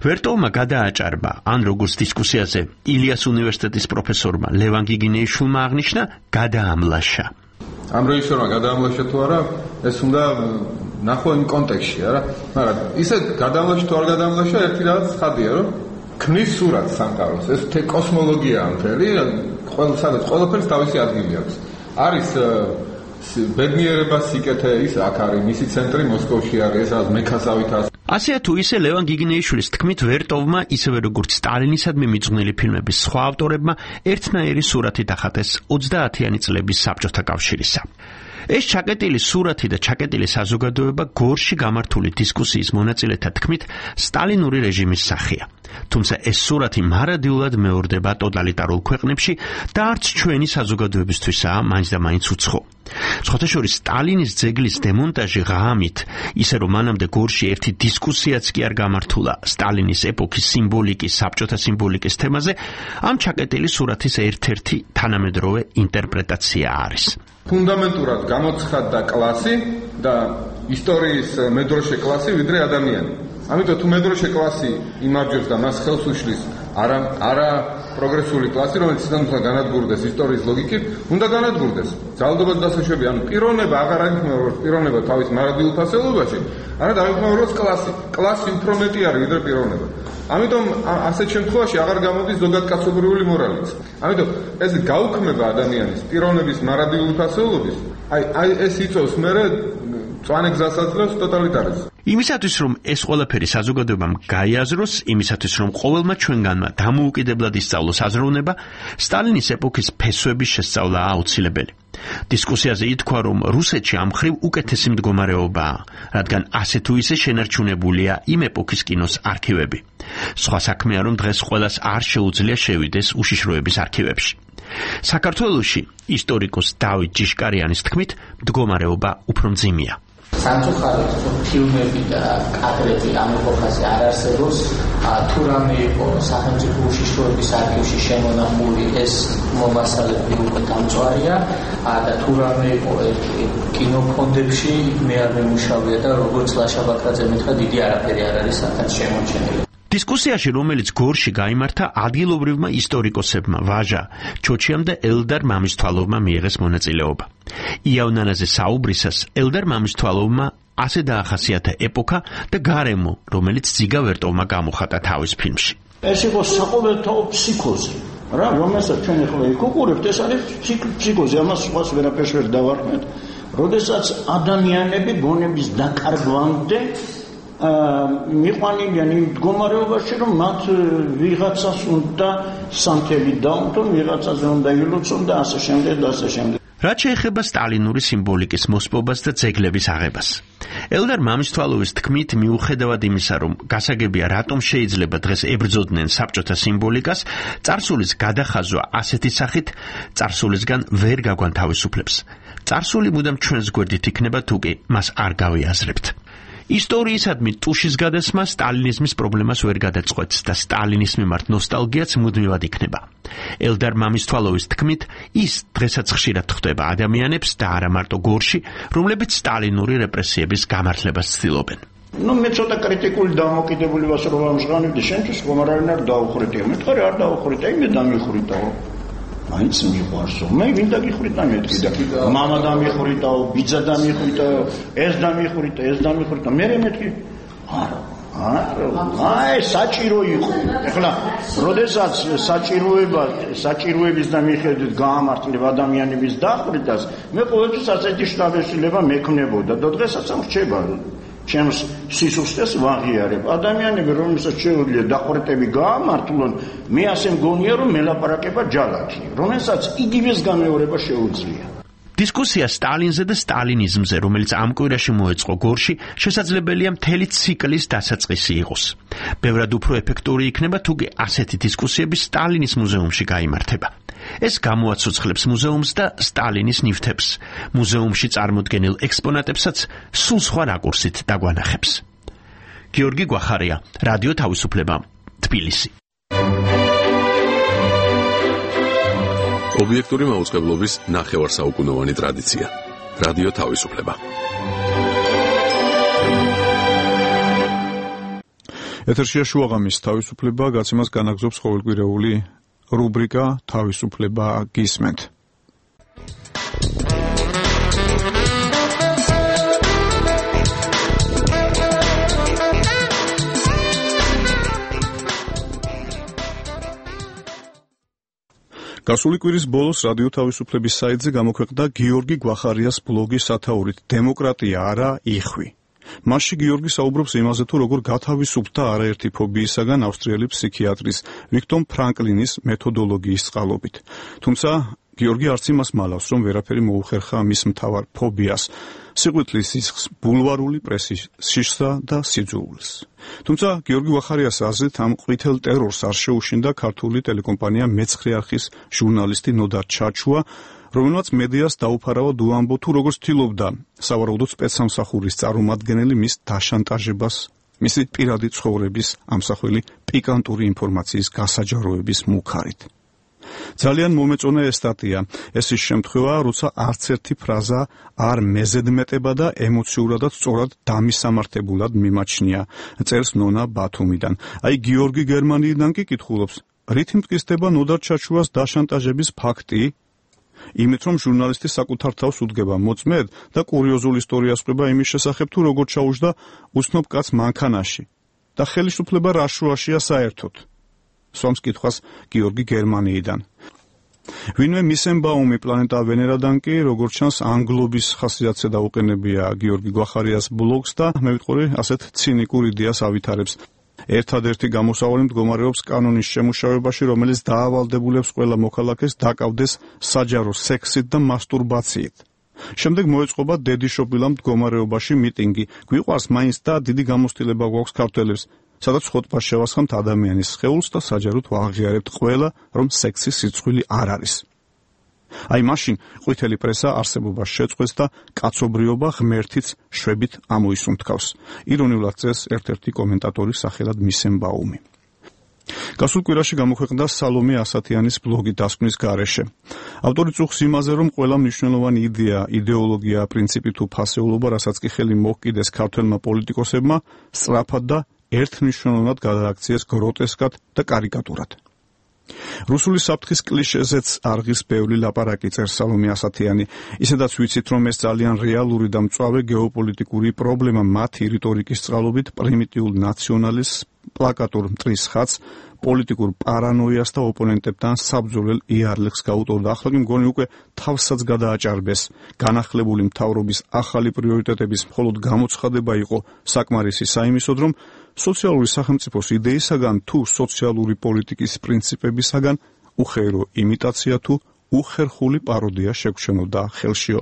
ვერტოვმა გადააჭარბა, ან როგორც დისკუსიაზე ილიას უნივერსიტეტის პროფესორმა ლევან გიგინეიშვილმა აღნიშნა, გადაამლაშა. ამ რეჟისორმა გადაამლაშა თუ არა, ეს უნდა ნახო იმ კონტექსტში, არა? მაგრამ ისე გადაამლაშა თუ არ გადაამლაშა, ერთი რაღაც ხადია, რომ ქმნის სურათს სამყაროს. ეს კოსმოლოგიაა მთელი, სადაც ყველაფერს თავისი ადგილი აქვს. არის ბედნიერება, სიკეთე, ის აქ არის, მისი ცენტრი მოსკოვში არის, ეს მექასავით არის. ასეა თუ ისე ლევან გიგინეიშვილის თქმით, ვერტოვმა ისევე როგორც სტალინისადმი მიძღვნილი ფილმების სხვა ავტორებმა ერთნაირი სურათი დახატეს 30-იანი წლების საბჭოთა კავშირისა. ეს ჩაკეტილი სურათი და ჩაკეტილი საზოგადოება გორში გამართული დისკუსიის მონაწილეთა თქმით სტალინური რეჟიმის სახეა. თუმცა ეს სურათი მარადიულად მეორდება ტოტალიტარულ ქვეყნებში და არც ჩვენი საზოგადოებისთვისაა მაინც და მაინც უცხო. სხვათაშორის სტალინის ძეგლის დემონტაჟი ღამით, ისე რომ მანამდე გორში ერთი დისკუსიაც კი არ გამართულა სტალინის ეპოქის სიმბოლიკის, საბჭოთა სიმბოლიკის თემაზე, ამ ჩაკეტილი სურათის ერთ-ერთი თანამედროვე ინტერპრეტაცია არის. ფუნდამენტურად გამოცხადდა კლასი და ისტორიის მედროშე კლასი ვიდრე ადამიანი. ამიტომ თუ მედროშე კლასი იმარჯვებს და მას ხელს უშლის არა პროგრესული კლასი, რომელიც თვითონ განადგურდეს ისტორიის ლოგიკით, უნდა განადგურდეს. ძალადობაც დასაშვები, ანუ პიროვნება აღარ აღიქმება პიროვნება თავის მარადიულ ფასეულობაში, არამედ აღიქმება კლასი. კლასი უფრო მეტი არის ვიდრე პიროვნება. ამიტომ ასეთ შემთხვევაში აღარ გამოდის ზოგადკაცობრიული მორალიც. ამიტომ ეს გაუქმება ადამიანის პიროვნების მარადიული ფასეულობის, აი ეს იწვევს მერე წვანე გზას აძლევს ტოტალიტარიზმს. იმისათვის რომ ეს ყველაფერი საზოგადოებამ გაიაზროს, იმისათვის რომ ყოველმა ჩვენგანმა დამოუკიდებლად ისწავლოს აზროვნება, სტალინის ეპოქის ფესვების შესწავლა აუცილებელი. დისკუსიაზე ითქვა, რომ რუსეთში ამ მხრივ უკეთესი მდგომარეობაა, რადგან ასე თუ ისე შენარჩუნებულია იმ ეპოქის კინოს არქივები. სხვა საქმეა, რომ დღეს ყველას არ შეუძლია შევიდეს უშიშროების არქივებში. საქართველოში ისტორიკოს დავით ჯიშკარიანის თქმით, მდგომარეობა უფრო მძიმეა. სამწუხაროდ ფილმები და კადრები ამ ეპოქაზე არ არსებობს. თუ რამე იყო სახელმწიფო უშიშროების არქივში შემონახული, ეს მომასალები უკვე დამწვარია და თუ რამე იყო კინოფონდებში, მე არ მემუშავია და როგორც ლაშა ბაქრაძე მითხრა, დიდი არაფერი არ არის აქაც შემორჩენილი. დისკუსიაში, რომელიც გორში გაიმართა, ადგილობრივმა ისტორიკოსებმა ვაჟა ჩოჩიამ და ელდარ მამისთვალოვმა მიიღეს მონაწილეობა. იავნანაზე საუბრისას ელდარ მამისთვალოვმა ასე დაახასიათა ეპოქა და გარემო, რომელიც ძიგა ვერტოვმა გამოხატა თავის ფილმში. ეს იყო საყოველთაო ფსიქოზი, რომელსაც ჩვენ ახლა ვიკუყურებთ, ეს არის ფსიქოზი, ამას სხვას ვერაფერს ვერ დავარქმევთ. როდესაც ადამიანები გონების დაკარგვამდე მიყვანილიან იმ მდგომარეობაში, რომ მათ ვიღაცას უნდა სამთელი დაუნთონ, ვიღაცაზე უნდა ილოცონ და ასე შემდეგ და ასე შემდეგ. რაც შეეხება სტალინური სიმბოლიკის მოსპობას და ძეგლების აღებას. ელდარ მამისთვალოვის თქმით, მიუხედავად იმისა, რომ გასაგებია რატომ შეიძლება დღეს ებრძოდნენ საბჭოთა სიმბოლიკას, წარსულის გადახაზვა ასეთი სახით წარსულისგან ვერ გაგვანთავისუფლებს. წარსული მუდამ ჩვენს გვერდით იქნება, თუ კი მას არ გავიაზრებთ. ისტორიისადმი ტუშის გადასმა სტალინიზმის პრობლემას ვერ გადაწყვეტს და სტალინის მიმართ ნოსტალგიაც მუდმივად იქნება. ელდარ მამისთვალოვის თქმით, ის დღესაც ხშირად ხვდება ადამიანებს და არა მარტო გორში, რომლებიც სტალინური რეპრესიების გამართლებას ცდილობენ. მე ცოტა კრიტიკული დამოკიდებულებას რომ ამჟღავნებდი, შენთვის ხომ არ არის დაუხრიტია. მეთქარი არ დაუხრიტა, იმე დამიხრიტაო. მაინც მიყვარსო. მე ვინ დაგიხრიტა მეთქი და მამა დამიხრიტაო, ბიძა დამიხრიტაო, ეს დამიხრიტა. მე მეთქი არა. აი საჭირო იყო. ეხლა, როდესაც საჭიროების და მიხედვით გაამართლებ ადამიანების დახვრიტას, მე ყოველთვის ასეთი შთაბეჭდილება მექნებოდა და დღესაც ამ რჩება. ჩემს სისუსტეს ვაღიარებ. ადამიანები, რომელსაც შეუძლია დახვრიტები გაამართლონ, მე ასე მგონია, რომ მელაპარაკება ჯალათი, რომელსაც იგივეს გამეორება შეუძლია. დისკუსია სტალინზე და სტალინიზმზე, რომელიც ამ კვირაში მოეწყო გორში, შესაძლებელია მთელი ციკლის დასაწყისი იყოს. ბევრად უფრო ეფექტური იქნება, თუგი ასეთი დისკუსიები სტალინის მუზეუმში გაიმართება. ეს გამოაცოცხლებს მუზეუმს და სტალინის ნივთებს. მუზეუმში წარმოდგენილ ექსპონატებსაც სულ სხვა რაკურსით დაგვანახებს. გიორგი გვახარია, რადიო თავისუფლება, თბილისი. ობიექტური მაუწყებლობის ნახევარსაუკუნოვანი ტრადიცია. რადიო თავისუფლება. ეთერშია შუაღამის თავისუფლება, გაცემას განაგზობს ყოველკვირეული რუბრიკა თავისუფლება გისმენთ. გასული კვირის ბოლოს რადიო თავისუფლების საიტზე გამოქვეყნდა გიორგი გვახარიას ბლოგი სათაურით დემოკრატია არა იხვი. მასში გიორგი საუბრობს იმაზე, თუ როგორ გათავისუფლდა არაერთი ფობიისაგან ავსტრიელი ფსიქიატრის ვიქტორ ფრანკლინის მეთოდოლოგიის წყალობით. თუმცა გიორგი არც იმას მალავს, რომ ვერაფერი მოუხერხა მის მთავარ ფობიას, სიყვიტლის სისხლს, ბულვარული პრესის შიშსა და სიძულვილს. თუმცა გიორგი გვახარიას აზრით ამ ყვითელ ტერორს არ შეუშინდა ქართული ტელეკომპანია მეცხრე არხის ჟურნალისტი ნოდარ ჩაჩუა, რომელმაც მედიას დაუფარავად უამბო, თუ როგორ ცდილობდა სავარაუდოდ სპეცსამსახურის წარმომადგენელი მის დაშანტაჟებას, მისი პირადი ცხოვრების ამსახველი პიკანტური ინფორმაციის გასაჯაროების მუქარით. ძალიან მომეწონა ეს სტატია. ეს ის შემთხვევა, როცა არც ერთი ფრაზა არ მეზედმეტება და ემოციურადაც სწორად დამისამართებულად მიმაჩნია, წერს ნონა ბათუმიდან. აი გიორგი გერმანიიდან კი კითხულობს, რით მტკიცდება ნოდარ ჩაჩუას დაშანტაჟების ფაქტი? იმით, რომ ჟურნალისტი საკუთარ თავს უდგება მოწმედ და კურიოზული ისტორია სყვება იმის შესახებ, თუ როგორ ჩაუжда უცნობ კაცს მანქანაში და ხელისუფლება რა შუაშია საერთოდ. სვამს კითხვას გიორგი გერმანიიდან. ვინმე მისენბაუმი პლანეტა ვენერადან კი, როგორც ჩანს, ანგლობის ხასიათზე დაუყენებია გიორგი გვახარიას ბლოგს და მე ვიტყოდი, ასეთ ცინიკურ იდეას ავითარებს. ერთადერთი გამოსავალი მდგომარეობს კანონის შემუშავებაში, რომელიც დაავალდებულებს ყველა მოქალაქეს დაკავდეს საჯარო სექსით და მასტურბაციით. შემდეგ მოეწყობა დედიშობილა მდგომარეობაში მიტინგი. გვიყვარს მაინც და დიდი გამოცდილება გვაქვს ქართველებს, სადაც ხოტბას შევასხამთ ადამიანის სხეულს და საჯაროდ ვაღიარებთ ყველა, რომ სექსის სიცხვილი არ არის. აი მაშინ ყვითელი პრესა არსებობას შეწყვეტს და კაცობრიობა ღმერთიც შვებით ამოისუნთქავს. ირონიულად წერს ერთ-ერთი კომენტატორი სახელად მისენბაუმი. გასულ კვირაში გამოქვეყნდა სალომე ასათიანის ბლოგი დასკვნის გარეშე. ავტორი წუხს იმაზე, რომ ყველა მნიშვნელოვანი იდეა, იდეოლოგია, პრინციპი თუ ფასეულობა, რასაც კი ხელი მოჰკიდეს ქართველმა პოლიტიკოსებმა, სწრაფად და ერთნიშნულოვნად გადააქციეს გროტესკად და კარიკატურად. რუსული საფრთხის კლიშეზეც არღის ბევრი ლაპარაკი, წერს სალომე ასათიანი. ისედაც ვიცით, რომ ეს ძალიან რეალური და მწვავე გეოპოლიტიკური პრობლემა მათი რიტორიკის წყალობით პრიმიტიულ ნაციონალიზმს, პლაკატურ მტრის ხატს, პოლიტიკურ პარანოიას და ოპონენტებთან საბრძოლელ იარლებს გაუტოვდა. ახლა კი მგონი უკვე თავსაც გადააჭარბეს. განახლებული მთავრობის ახალი პრიორიტეტების მხოლოდ გამოცხადება იყო საკმარისი საიმისოდ, რომ სოციალური სახელმწიფოს იდეისაგან თუ სოციალური პოლიტიკის პრინციპებისაგან უხეირო იმიტაცია თუ უხერხული პაროდია შეგჩენოდა ხელშიო.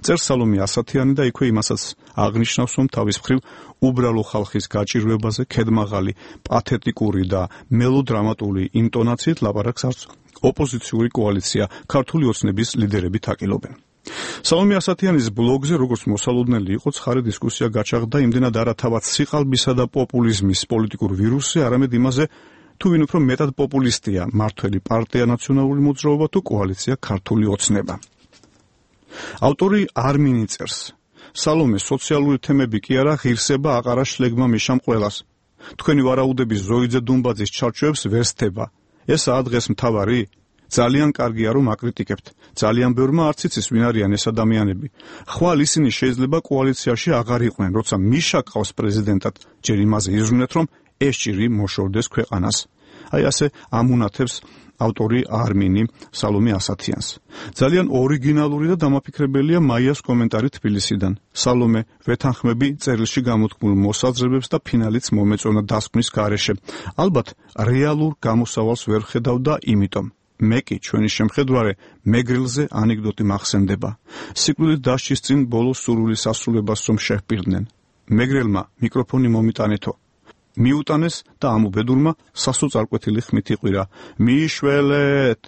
წერს სალომე ასათიანი და იქვე იმასაც აღნიშნავს, რომ თავის მხრივ უბრალო ხალხის გაჭირვებაზე ქედმაღალი, პათეტიკური და მელოდრამატული ინტონაციით ლაპარაკს არც ოპოზიციური კოალიცია ქართული ოცნების ლიდერები თაკილობენ. სალომე ასათიანის ბლოგზე როგორც მოსალოდნელი იყო ცხარი დისკუსია გაჩაღდა იმდენად არა თავად სიყალბისა და პოპულიზმის პოლიტიკურ ვირუსზე, არამედ იმაზე თუ ვინ უფრო მეტად პოპულისტია, მართველი პარტია ნაციონალური მოძრაობა თუ კოალიცია ქართული ოცნება. ავტორი არმინი წერს: სალომე, სოციალური თემები კი არა, ღირსება აყარა შლეგმა მიშამ ყველას. თქვენი ვარაუდების ზოიძე დუმბაძის ჩარჩოებს ვერ სთება. ესაა დღეს მთავარი? ძალიან კარგია რომ აკრიტიკებთ. ძალიან ბევრმა არც იცის ვინ არიან ეს ადამიანები. ხვალ ისინი შეიძლება კოალიციაში აღარ იყვნენ, როცა მიშა ყავს პრეზიდენტად, ჯერ იმაზე იზრუნეთ რომ ეს ჭირი მოშორდეს ქვეყანას. აი ასე ამუნათებს ავტორი არმინი სალომე ასათიანს. ძალიან ორიგინალური და დამაფიქრებელია მაიას კომენტარი თბილისიდან. სალომე, ვეთანხმები წერილში გამოთქმულ მოსაზრებებს და ფინალიც მომეწონა დასკვნის გარეშე. ალბათ რეალურ გამოსავალს ვერ ხედავდა, იმიტომ მე კი ჩვენი შემხედვარე მეგრილზე ანეკდოტი მახსენდება. სიკვდილით დასჯის წინ ბოლოს სურვილის ასრულებას რომ შეჰპირდნენ. მეგრელმა მიკროფონი მომიტანეთო. მიუტანეს და ამ უბედურმა სასოწარკვეთილი ხმით იყვირა: მიშველეთ!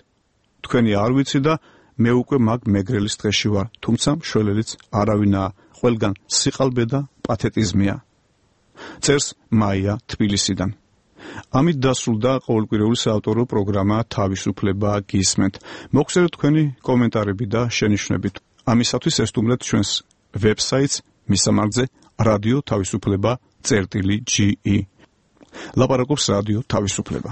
თქვენი არ ვიცი და მე უკვე მაგ მეგრელის დღეში ვარ, თუმცა მშველელიც არავინაა, ყველგან სიყალბე და პათეტიზმია. წერს მაია თბილისიდან. ამით დასრულდა ყოველკვირეული საავტორო პროგრამა თავისუფლება გისმენთ. მოგხსენებთ თქვენი კომენტარები და შენიშვნები. ამისათვის ესტუმრეთ ჩვენს ვებსაიტს მისამართზე რადიო თავისუფლება.ge. ლაპარაკობს რადიო თავისუფლება.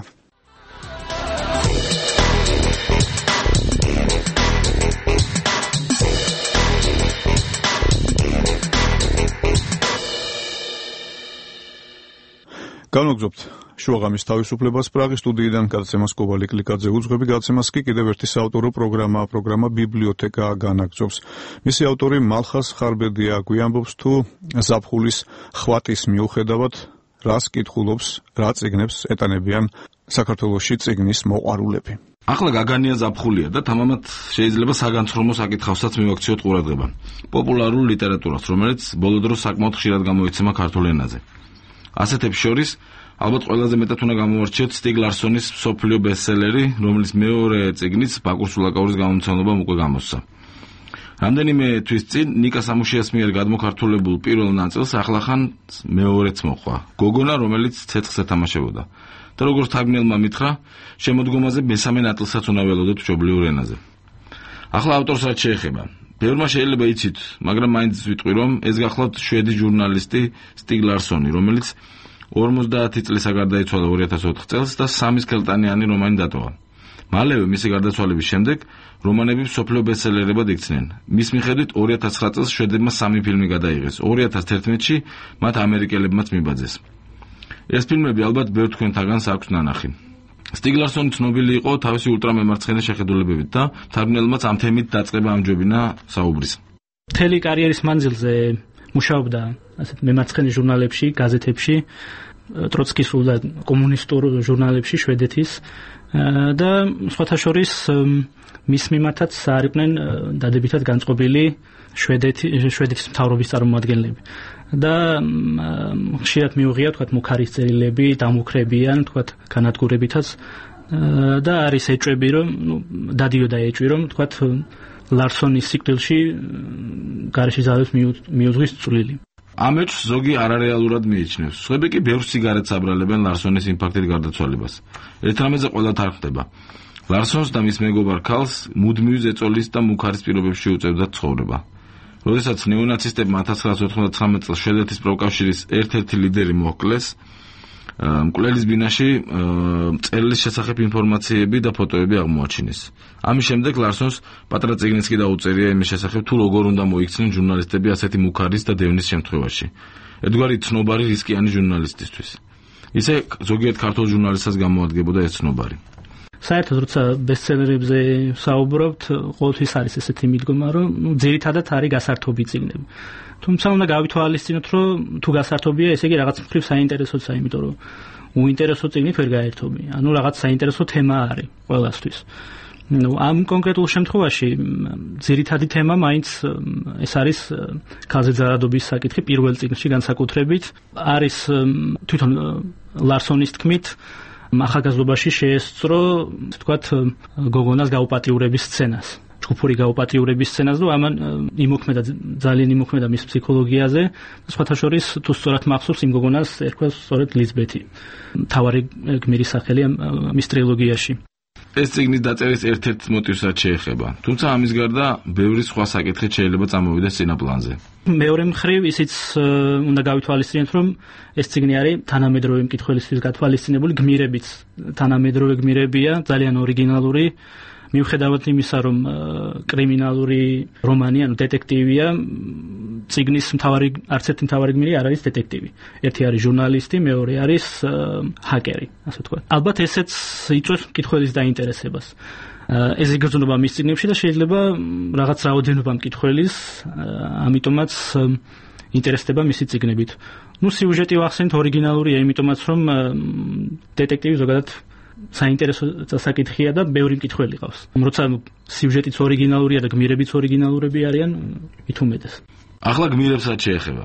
განვაგრძობთ შუაღამის თავისუფლებას პრაღის სტუდიიდან გადაცემას კობალი კლიკაძე უძღვები, გადაცემას კი კიდევ ერთი საავტორო პროგრამა ბიბლიოთეკა განაგრძობს. მისი ავტორი მალხაზ ხარბედია გვიამბობს თუ ზაფხულის ხვატის მიუხედავად რას კითხულობს, რა წიგნებს ეტანებიან საქართველოში წიგნის მოყვარულები. ახლა გაგანია ზაფხულია და თამამად შეიძლება საგანცრომო საკითხავსაც მივაქციოთ ყურადღება. პოპულარულ ლიტერატურას, რომელიც ბოლო დროს საკმაოდ ხშირად გამოიცემა ქართულ ენაზე. ასეთებს შორის ალბათ ყველაზე მეტად უნდა გამოვარჩიოთ სტიგ ლარსონის მსოფლიო ბესტსელერი, რომლის მეორე წიგნიც ბაკურ სულაკაურის გამომცემლობამ უკვე გამოსცა. რამდენიმე თვის წინ ნიკა სამუშიას მიერ გადმოქართულებულ პირველ ნაწილს ახლახან მეორეც მოხვა. გოგონა, რომელიც ცეცხლს ეთამაშებოდა. და როგორც თარგმნელმა მითხრა, შემოდგომაზე მესამე ნაწილსაც უნდა ველოდოთ მშობლიურ ენაზე. ახლა ავტორს რაც შეეხება, ბევრმა შეიძლება იცით, მაგრამ მაინც ვიტყვი, რომ ეს გახლავთ შვედი ჟურნალისტი სტიგ ლარსონი, რომელიც 50 წლისა გარდაიცვალა 2004 წელს და 3 სქელტანიანი რომანი დატოვა. მალევე მისი გარდაცვალების შემდეგ რომანები მსოფლიო ბესტსელერებად იქცნენ. მის მიხედვით 2009 წელს შვედებმა 3 ფილმი გადაიღეს. 2011-ში მათ ამერიკელებმაც მიბაძეს. ეს ფილმები ალბათ ბევრ თქვენთაგანს აქვს ნანახი. სტიგ ლარსონი ცნობილი იყო თავისი ულტრამემარცხენე შეხედულებებით და თარგმნელმაც ამ თემით დაწყება ამჯობინა საუბრის. მთელი კარიერის მანძილზე მუშაობდა ასეთ მემარცხენე ჟურნალებში, გაზეთებში, ტროცკისულ და კომუნისტურ ჟურნალებში შვედეთის და სხვათა შორის მის მიმართაც არიყვნენ დადებითად განწყობილი შვედეთის მთავრობის წარმომადგენლები. და ხშირად მიუღია თქვათ მუქარის წერილები, დამუქრებიან თქვათ განადგურებითაც და არის ეჭვები რომ დადიოდა ეჭვი რომ თქვათ ლარსონის სიკვდილში გარეშე ძალებს მიუძღვის წვლილი. ამ ეჭვს ზოგი არარეალურად მიიჩნევს. სხვები კი ბევრ სიგარეტს აბრალებენ ლარსონის ინფარქტით გარდაცვალებას. ერთ რამეზე ყველა თარგმდება. ლარსონს და მის მეგობარ ქალს მუდმივი ზეწოლის და მუქარის პირობებში უწევდათ ცხოვრება. როდესაც ნეონაცისტებმა 1999 წელს შვედეთის პროკავშირის ერთ-ერთი ლიდერი მოკლეს, მკვლელის ბინაში წერილის შესახებ ინფორმაციები და ფოტოები აღმოაჩინეს. ამის შემდეგ ლარსონს პატრა წიგნიც კი დაუწერია იმის შესახებ, თუ როგორ უნდა მოიქცნენ ჟურნალისტები ასეთი მუქარის და დევნის შემთხვევაში. ერთგვარი ცნობარი რისკიანი ჟურნალისტისთვის. ისე ზოგიერთ ქართულ ჟურნალისტსაც გამოადგებოდა ეს ცნობარი. საერთოდ როცა ბესტსელერებზე საუბრობთ, ყოველთვის არის ესეთი მიდგომა, რომ ძირითადად არის გასართობი წიგნები. თუმცა უნდა გავითვალისწინოთ, რომ თუ გასართობია, ესე იგი რაღაც მხრივ საინტერესოა, იმიტომ რომ უინტერესო წიგნით ვერ გაერთობი. ანუ რაღაც საინტერესო თემა არის ყველასთვის. ამ კონკრეტულ შემთხვევაში ძირითადი თემა მაინც ეს არის ქალზე ზარადობის საკითხი პირველ წიგნში განსაკუთრებით. არის თვითონ ლარსონის თქმით ახალგაზრდობაში შეესწრო, თქვათ, გოგონას გაუპატიურების სცენას. ჯგუფური გაუპატრიურების სცენას და ამან იმოქმედა ძალიან იმოქმედა მის ფსიქოლოგიაზე. სხვათა შორის თუ სწორად მახსოვს იმ გოგონას ერქვა სწორედ ლიზბეთი. მთავარი გმირის სახელი მის ტრილოგიაში. ეს წიგნის დაწერის ერთ-ერთ მოტივსაც შეეხება. თუმცა ამის გარდა ბევრი სხვა საკითხიც შეიძლება წამოვიდეს წინაპლანზე. მეორე მხრივ ისიც უნდა გავითვალისწინოთ, რომ ეს წიგნი არის თანამედროვე მკითხველისთვის გათვალისწინებული გმირებიც. თანამედროვე გმირებია, ძალიან ორიგინალური. მიუხედავად იმისა, რომ კრიმინალური რომანი, ანუ დეტექტივია, წიგნის არც ერთი მთავარი გმირი არ არის დეტექტივი. ერთი არის ჟურნალისტი, მეორე არის ჰაკერი, ასე ვთქვათ. ალბათ ესეც იწვევს მკითხველის დაინტერესებას. ეს იგრძნობა მის წიგნებში და შეიძლება რაღაც რაოდენობა მკითხველის, ამიტომაც ინტერესდება მისი წიგნებით. სიუჟეტი ვახსენეთ ორიგინალურია, იმიტომაც რომ დეტექტივი ზოგადად საინტერესო საკითხია და ბევრი მკითხველი ყავს. როცა სიუჟეტიც ორიგინალურია და გმირებიც ორიგინალურები არიან, მით უმეტეს. ახლა გმირებსაც შეეხება.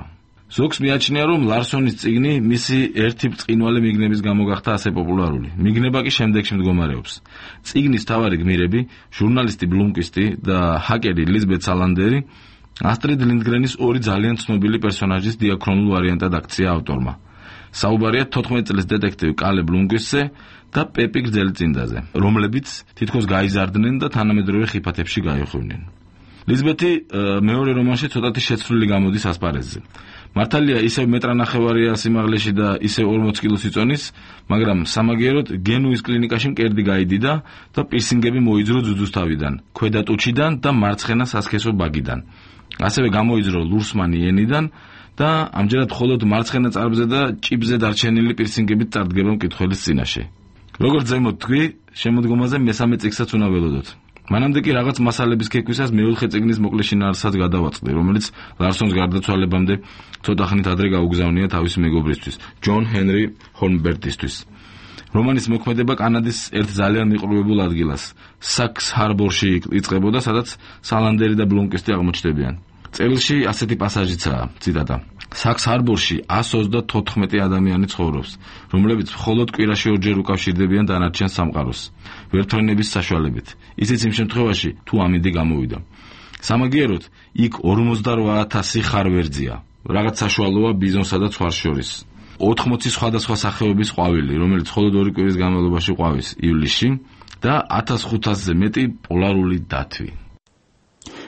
ზოგს მიაჩნია, რომ ლარსონის წიგნი მისი ერთი ბრწყინვალე მიგნების გამო გახდა ასე პოპულარული. მიგნება კი შემდეგში მდგომარეობს. წიგნის მთავარი გმირები, ჟურნალისტი ბლუმკვისტი და ჰაკერი ლიზბეთ სალანდერი, ასტრიდ ლინდგრენის ორი ძალიან ცნობილი პერსონაჟის დიაქრონულ ვარიანტად აქცია ავტორმა. საუბარია 14 წლის დეტექტივ კალე ბლუმკვისტზე და პეპი გრძელწინდაზე, რომლებიც თითქოს გაიზარდნენ და თანამედროვე ხიფათებში გაიხვნენ. ლიზბეთი მეორე რომანში ცოტათი შეცვლილი გამოდის ასპარეზზე. მართალია ისევ მეტრანახევარია სიმაღლეში და ისევ 40 კილოს იწონის, მაგრამ სამაგიეროდ გენუის კლინიკაში მკერდი გაიდიდა და პირსინგები მოიძრო ძუძუსთავიდან, ქვედა ტუჩიდან და მარცხენა სასქესო ბაგიდან. ასევე გამოიძრო ლურსმანი ენიდან და ამჯერად მხოლოდ მარცხენა წარბზე და ჭიბზე დარჩენილი პირსინგებით წარდგება მკითხველის წინაშე. როგორც ზემოთ თქვი, შემოდგომაზე მესამე წიგნსაც უნდა ველოდოთ. მანამდე კი რაღაც მასალების ქექვისას მეოთხე წიგნის მოკლე შინაარსსაც გადავაწყდი, რომელიც ლარსონს გარდაცვალებამდე ცოტა ხნით ადრე გაუგზავნია თავისი მეგობრისთვის, ჯონ ჰენრი ჰორნბერტისთვის. რომანის მოქმედება კანადის ერთ ძალიან მიყრუებულ ადგილას, საქს ჰარბორში იწყებოდა, სადაც სალანდერი და ბლუმკვისტი აღმოჩნდებიან. წერილში ასეთი პასაჟიცაა, ციტატა: საქს ჰარბორში 134 ადამიანი ცხოვრობს, რომლებიც მხოლოდ კვირაში ორჯერ უკავშირდებიან დანარჩენ სამყაროს, ვერთვენების საშუალებით. ისიც იმ შემთხვევაში, თუ ამინდი გამოვიდა. სამაგიეროდ, იქ 48,000 ხარვერძია, რაღაც საშუალოა ბიზონსა და ცხვარს შორის. 80 სხვადასხვა სახეობის ყვავილი, რომელიც მხოლოდ 2 კვირის განმავლობაში ყვავის ივლისში და 1500-ზე მეტი პოლარული დათვი.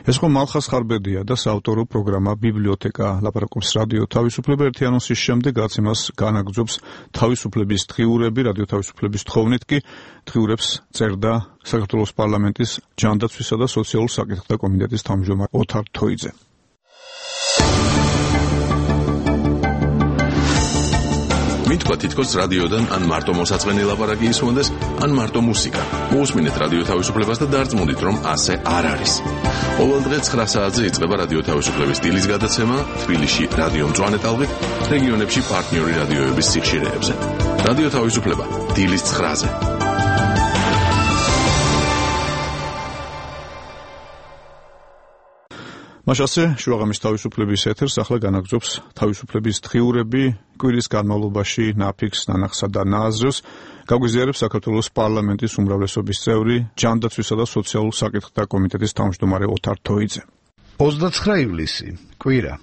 ეს ხო მალხას ხარბედია და საავტორო პროგრამა ბიბლიოთეკა. ლაპარაკობს რადიო თავისუფლება. ერთი ანონსის შემდეგ რაც იმას განაგრძობს თავისუფლების დღიურები, რადიო თავისუფლების თხოვნით კი დღიურებს წერდა საქართველოს პარლამენტის ჯანდაცვისა და სოციალურ საკითხთა კომიტეტის თავმჯდომარე ოთარ თოიძე. მითქვა თითქოს რადიოდან ან მარტო მოსაწყენი ლაპარაკი ისმონდეს, ან მარტო მუსიკა. მოусმინეთ რადიო თავისუფლებას და დარწმუნდით, რომ ასე არ არის. ყოველდღე 9 საათზე იწყება რადიო თავისუფლების დილის გადაცემა თბილისში რადიო მწვანე ტალღით, რეგიონებში პარტნიორი რადიოების სიხშირეებზე. რადიო თავისუფლება დილის 9-ზე. მაშასე შუაღამის თავისუფლების ეთერს ახლა განაგრძობს თავისუფლების დღიურები. კვირის განმავლობაში ნაფიქს, ნანახსა და ნააზრევს გაგვიზიარებს საქართველოს პარლამენტის უმრავლესობის წევრი, ჯანდაცვისა და სოციალურ საკითხთა კომიტეტის თავმჯდომარე ოთარ თოიძე. 29 ივლისი, კვირა.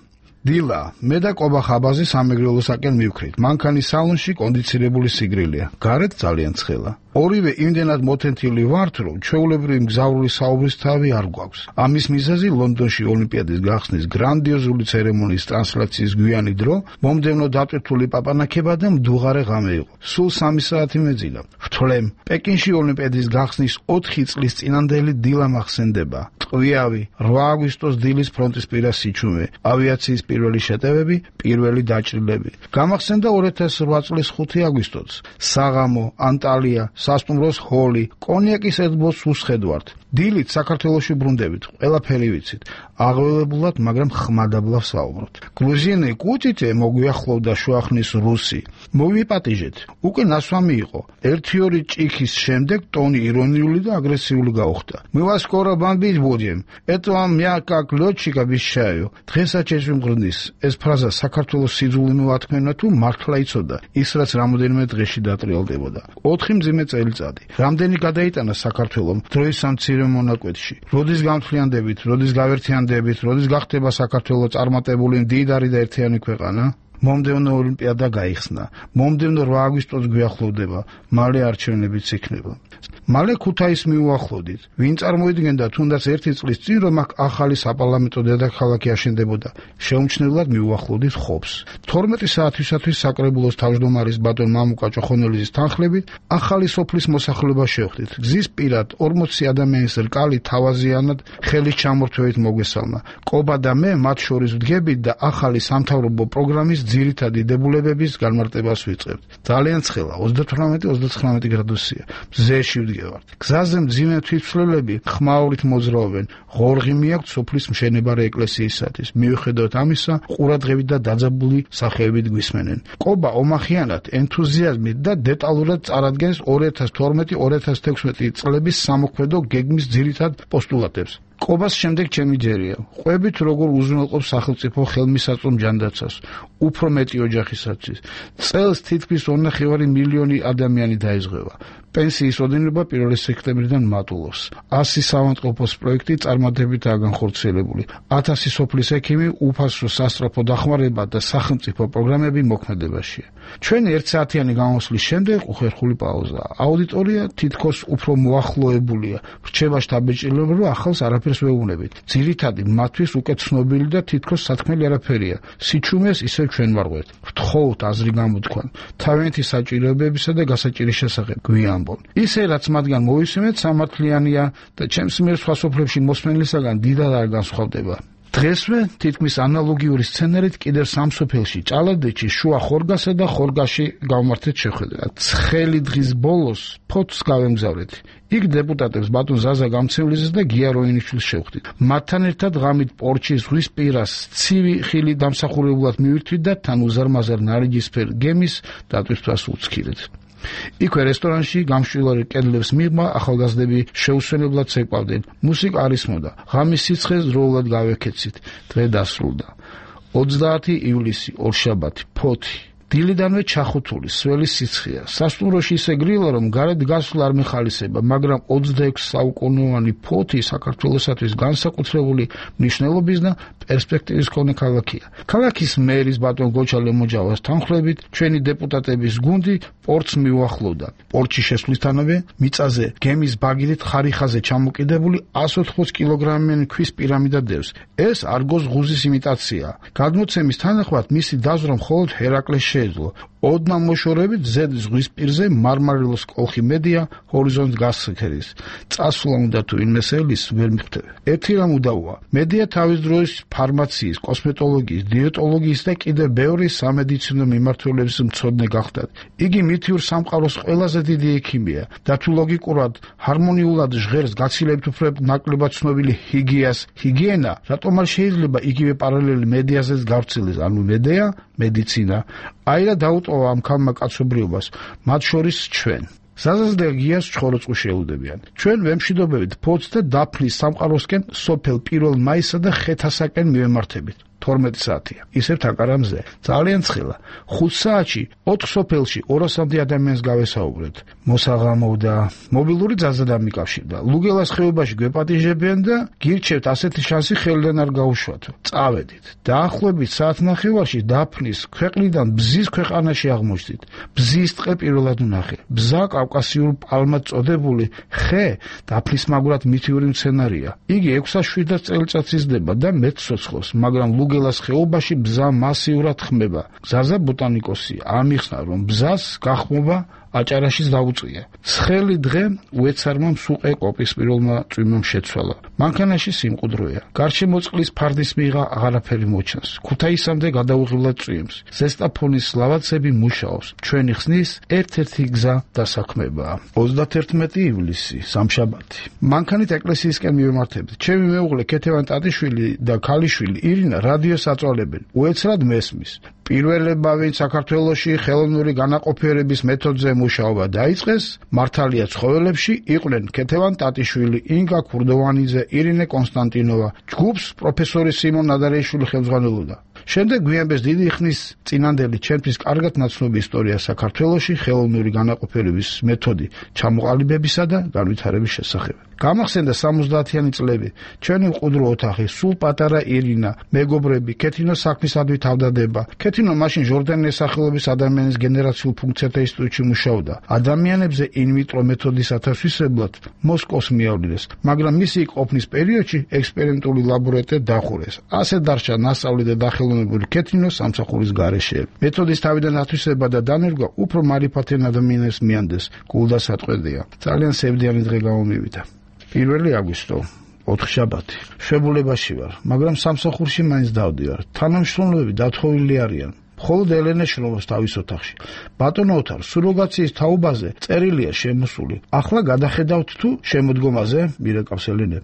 დილა, მე და კობა ხაბაზი სამეგრელოსაკენ მივქრით. მანქანის სალონში კონდიცირებული სიგრილია. გარეთ ძალიან ცხელა. ორივე იმდენად მოთენთილი ვართ, რომ ჩვეულებრივი მგზავრული საუბრის თავი არ გვაქვს. ამის მიზეზი ლონდონში ოლიმპიადის გახსნის გრანდიოზული ცერემონიის ტრანსლაციის გვიანი დრო, მომდევნო დატვირთული პაპანაკება და მდუღარე ღამე იყო. სულ 3 საათი მეძინა. ვთვლემ, პეკინში ოლიმპიადის გახსნის 4 წლის წინანდელი დილა მახსენდება. ტყვიავი, 8 აგვისტოს დილის ფრონტისპირა სიჩუმე, ავიაციის პირველი შეტევები, პირველი დაჭრილები. გამახსენდა 2008 წლის 5 აგვისტოც. საღამო, ანტალია, სასტუმროს ჰოლი, კონიაკის ედბოს უსხედვართ. დილით საქართველოში ბრუნდებით, ყველაფერი ვიცით. აღველებულად, მაგრამ ხმადაბლავს საუბრობთ. გრუზინი კუტიტე მოგვიახლოვდა შუახნის რუსი. მოვიპატიჟეთ. უკვე ნასვამი იყო. 1-2 ჭიქის შემდეგ ტონი ირონიული და აგრესიული გაუხდა. Мы вас скоро бомбить будем. Это вам мягко лётчик обещаю. დღესაც შეგვიმღრნის. ეს ფრაზა საქართველოს სიძულვე მოათქმენა თუ მართლა იცოდა. ის რაც რამოდენიმე დღეში დატრიალდებოდა. 4 მძიმე წელიწადი. რამდენი გადაიტანა საქართველომ დროის სამცირე ორივე მონაკვეთში. როდის გამთვლიანდებით, როდის გავერთიანდებით, როდის გახდება საქართველოს წარმატებული მდიდარი და ერთიანი ქვეყანა? მომდევნო ოლიმპიადა გაიხსნა. მომდევნო 8 აგვისტოს გვიახლოვდება, მალე არჩევნებიც იქნება. მალე ქუთაისს მიუახლოვდით. ვინ წარმოიდგენდა თუნდაც 1 წლის წინ, რომ აქ ახალი საპარლამენტო დედაქალაქი აშენდებოდა. შეუმჩნევლად მიუახლოვდით ხობს. 12 საათისათვის საკრებულოს თავმჯდომარის ბატონ მამუკა ჭოხონელიძის თანხლებით ახალი სოფლის მოსახლეობა შევხვდით. გზის პირად 40 ადამიანის რკალი თავაზიანად ხელის ჩამორთვევით მოგვესალმა. კობა და მე მათ შორის ვდგებით და ახალი სამთავრობო პროგრამის ძირითადი დებულებების განმარტებას ვიწყებთ. ძალიან ცხელა 38-39 გრადუსია. მზეში ვდგევართ. გზაზე მძიმე თვითმცლელები ხმაურით მოძრაობენ. ღორღი მიაქვთ სოფლის მშენებარე ეკლესიისათვის. მიუხედავად ამისა, ყურადღებით და დაძაბული სახეებით გვისმენენ. კობა ომახიანად, ენთუზიაზმით და დეტალურად წარადგენს 2012-2016 წლების სამოქმედო გეგმის ძირითად პოსტულატებს. კობას შემდეგ ჩემი ჯერია. ყვებით როგორ უზრუნველყოფს სახელმწიფო ხელმისაწვდომ ჯანდაცვას, უფრო მეტი ოჯახისათვის. წელს თითქმის 2.5 მილიონი ადამიანი დაიზღვევა. პენსიის ოდენობა 1 სექტემბრიდან მატულობს. 100 საავადმყოფოს პროექტი წარმატებითაა განხორციელებული. 1000 სოფლის ექიმი უფასო სასწრაფო დახმარება და სახელმწიფო პროგრამები მოქმედებაშია. ჩვენი 1 საათიანი გამოსვლის შემდეგ უხერხული პაუზაა. აუდიტორია თითქოს უფრო მოახლოებულია. რჩება შთაბეჭდილება, რომ ახალს არაფერს ვეუბნებით. ძირითადი მათთვის უკეთ ცნობილი და თითქოს სათქმელი არაფერია. სიჩუმეს ისევ ჩვენ ვარღვევთ. ვთხოვთ აზრი გამოთქვან. თავიანთი საჭიროებებისა და გასაჭირის შესახებ გვიან. ისე რაც მათგან მოვისმენთ სამართლიანია და ჩემს მიერ სხვა სოფლებში მოსმენლისაგან დიდად არ განსხვავდება. დღესვე თითქმის ანალოგიური სცენარით კიდევ სამ სოფელში, ჭალადეთში, შუა ხორგასა და ხორგაში გავმართეთ შეხვედრა. ცხელი დღის ბოლოს ფოთს გავემგზავრეთ. იქ დეპუტატებს ბატონ ზაზა გამცევლიზეს და გია როინიშვილს შევხვდით. მათთან ერთად ღამით პორჩის ზღვის პირას ცივი ხილი დამსახურებულად მივირთვით და თან უზარმაზარ ნარინჯისფერ გემის დატვირთვას უცქირეთ. იქვე რესტორანში გამშვილარი კედლებს მიღმა ახალგაზრდები შეუსვენებლად ცეკვავდნენ. მუსიკა არ ისმოდა. ღამის სიცხეს დროულად გავეკეცით. დღე დასრულდა. 30 ივლისი, ორშაბათი, ფოთი. დილიდანვე ჩახუთული, სველი სიცხეა. სასტუმროში ისე გრილა, რომ გარეთ გასვლა არ მეხალისება, მაგრამ 26 საუკუნოვანი ფოთი საქართველოსათვის განსაკუთრებული მნიშვნელობის და პერსპექტივის მქონე ქალაქია. ქალაქის მერის ბატონ გოჩა ლემოჯავას თანხლებით, ჩვენი დეპუტატების გუნდი პორტს მიუახლოვდა. პორტში შესვლისთანავე მიწაზე გემის ბაგირით ხარიხაზე ჩამოკიდებული 180 კილოგრამიანი ქვის პირამიდა დევს. ეს არგოს ღუზის იმიტაციაა. გადმოცემის თანახმად მისი დაზვრა მხოლოდ ჰერაკლეს შეეძლო. ოდნა მოშორებით ზედ ზღვის პირზე მარმარილოს კოლხი მედია ჰორიზონტს გასცექერის. წასვლა უნდა თუ ინმესელის ვერ მიხვდები. ერთი რამ უდავოა. მედია თავის დროის ფარმაციის, კოსმეტოლოგიის, დიეტოლოგიის და კიდევ ბევრი სამედიცინო მიმართულების მცოდნე გახდათ. იგი მითიურ სამყაროს ყველაზე დიდი ექიმია და თუ ლოგიკურად ჰარმონიულად ჟღერს გაცილებით უფრო ნაკლებად ცნობილი ჰიგიენა, რატომ არ შეიძლება იგივე პარალელი მედიაზეც გავრცელდეს, ანუ მედია, მედიცინა. აირა დაუტოვა ამ ქალმა კაცობრიობას, მათ შორის ჩვენ. ზაზას და გიას ჩხოროწყუ შეუდებიან. ჩვენ ვემშვიდობებით ფოთს და დაფნის სამყაროსკენ სოფელ 1 მაისსა და ხეთასაკენ მივემართებით. 12 საათია. ისევ თაკარამზე. ძალიან ცხელა. 5 საათში 4 სოფელში 200-მდე ადამიანს გავესაუბრეთ. მოსაღამოვდა, მობილური ძალზედ ამიკავშირდა. ლუგელას ხეობაში გვეპატიჟებიან და გირჩევთ ასეთი შანსი ხელიდან არ გაუშვათო. წავედით. დაახლოებით საათნახევარში დაფნის ქვეყნიდან ბზის ქვეყანაში აღმოჩნდით. ბზის ტყე პირველად ვნახე. ბზა კავკასიურ პალმად წოდებული ხე დაფნის მაგრად მითიური მცენარეა. იგი 6-7 წელიწადს იზრდება და მეტ ცოცხლობს, მაგრამ ლუგელას ხეობაში ბზა მასიურად ხმება. გზაზე ბოტანიკოსი ამიხსნა, რომ ბზას გახმობა აჭარაშიც დაუწია. ცხელი დღე უეცარმა მსუყე კოპის პირველმა წვიმამ შეცვალა. მანქანაში სიმყუდროა. გარშემოწყლის ფარდის მიღა აღარაფერი მოჩანს. ქუთაისამდე გადაუღილად წვიმს. ზესტაფონის ლავაცები მუშაობს. ჩვენი ხსნის ერთ-ერთი გზა დასაქმებაა. 31 ივლისი, სამშაბათი. მანქანით ეკლესიისკენ მივემართებით. ჩემი მეუღლე ქეთევან ტატიშვილი და ქალიშვილი ირინა რადიოს აწვალებენ. უეცრად მესმის. პირველება ვინც საქართველოში ხელოვნური განაყოფიერების მეთოდზე მუშაობა დაიწყეს, მართალია ცხოველებში იყვნენ ქეთევან ტატიშვილი, ინგა ქურდოვანიძე, ირინე კონსტანტინოვა. ჯგუფს პროფესორი სიმონ ნადარეიშვილი ხელმძღვანელობდა. შემდეგ გვიანბეს დიდი ხნის წინანდელი ჩემთვის კარგად ნაცნობი ისტორია საქართველოში ხელოვნური განაყოფიერების მეთოდი ჩამოყალიბებისა და განვითარების შესახებ. გამახსენდა 70-იანი წლები. ჩვენი მყუდრო ოთახი, სულ პატარა ირინა, მეგობრები, ქეთინოს საქმისადმი თავდადება. ქეთინო მაშინ ჟორდანიის სახელობის ადამიანის გენერაციულ ფუნქციათა ინსტიტუტში მუშაობდა. ადამიანებზე ინვიტრო მეთოდის ათასვისებლად მოსკოვს მიავლინეს, მაგრამ მისი ყოფნის პერიოდში ექსპერიმენტული ლაბორატორია დახურეს. ასე დარჩა ნასწავლი და დახელოვნებული ქეთინოს სამსახურის გარეშე. მეთოდის თავიდან ათვისება და დანერგვა უფრო მარიფათიან ადამიანებს მიანდეს. გულდასაწყვეტია. ძალიან სევდიანი დღე გამომივიდა. 1 აგვისტო 4 შაბათი. შვებულებაში ვარ, მაგრამ სამსახურში მაინც დავდივარ. თანამშრომლები დათხოვილი არიან. მხოლოდ ელენე შრომობს თავის ოთახში. ბატონო ოთარ, სუროგაციის თაობაზე წერილია შემოსული. ახლა გადახედავთ თუ შემოდგომაზე, მირეკავს ელენე.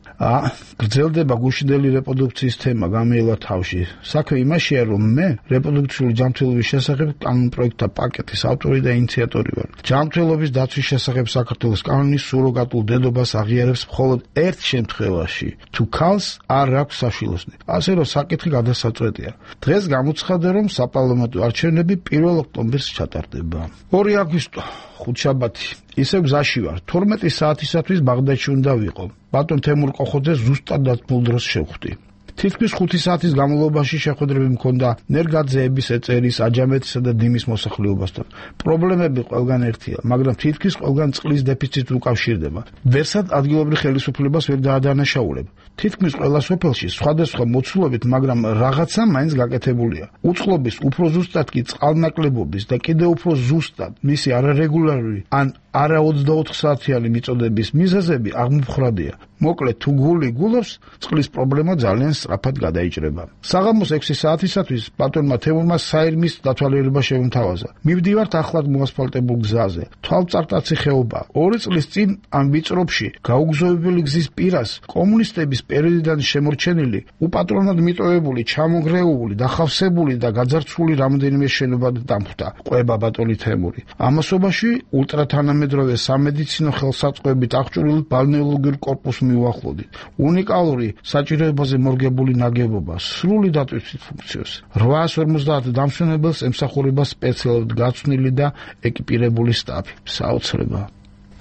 გრძელდება გუშინდელი რეპროდუქციის თემა გამეელა თავში. საქმე იმაშია, რომ მე რეპროდუქციული ჯანმრთელობის შესახებ კანონპროექტთა პაკეტის ავტორი და ინიციატორი ვარ. ჯანმრთელობის დაცვის შესახებ საქართველოს კანონის სუროგატულ დედობას აღიარებს მხოლოდ ერთ შემთხვევაში, თუ ქალს არ აქვს საშვილოსნი. ასე რომ საკითხი გადასაწყვეტია. დღეს გამოცხადდა, რომ საპარლამენტო არჩევნები 1 ოქტომბერს ჩატარდება. 2 აგვისტო, ხუთშაბათი. ისე გზაში ვარ. 12 საათისათვის ბაღდადში უნდა ვიყო. ბატონ თემურ კოხოძეს ზუსტად დათმულ დროს შევხვდი. თითქმის 5 საათის განმავლობაში შეხვედრები მქონდა ნერგაძეების, ეწერის, აჯამეთისა და დიმის მოსახლეობასთან. პრობლემები ყველგან ერთია, მაგრამ თითქმის ყველგან წყლის დეფიციტი უკავშირდება. ვერსად ადგილობრივ ხელისუფლებას ვერ დაადანაშაულებ. თითქმის ყველა სოფელში სხვადასხვა მოცულობით, მაგრამ რაღაცა მაინც გაკეთებულია. უწყლობის უფრო ზუსტად კი წყალნაკლებობის და კიდევ უფრო ზუსტად მისი არარეგულარული ან არა 24 საათიანი მიწოდების მიზეზები აღმოფხრადია. მოკლედ, თუ გული გულობს, წყლის პრობლემა ძალიან სწრაფად გადაიჭრება. საღამოს 6 საათისათვის ბატონმა თემურმა საირმის დათვალიერება შემთავაზა. მივდივართ ახლად მოასფალტებულ გზაზე. თვალწარტაცი ხეობა. 2 წლის წინ ამ ვიწროფში გაუგზავნებელი გზის პირას კომუნისტების პერიოდიდან შემორჩენილი, უპატრონოდ მიტოვებული, ჩამონგრეული, დახავსებული და გაძარცვული რამდენიმე შენობა დამხვდა. ყვება ბატონი თემური. ამასობაში ულტრათანამედროვე სამედიცინო ხელსაწყოებით აღჭურვილ ბალნეოლოგიურ კორპუსს მიუახლოვდით. უნიკალური საჭიროებაზე მორგებული ნაგებობა, სრული დატვირთვით ფუნქციებს. 850 დამსვენებელს ემსახურება სპეციალურად გაცვნილი და ეკიპირებული სტაფი. საოცრება.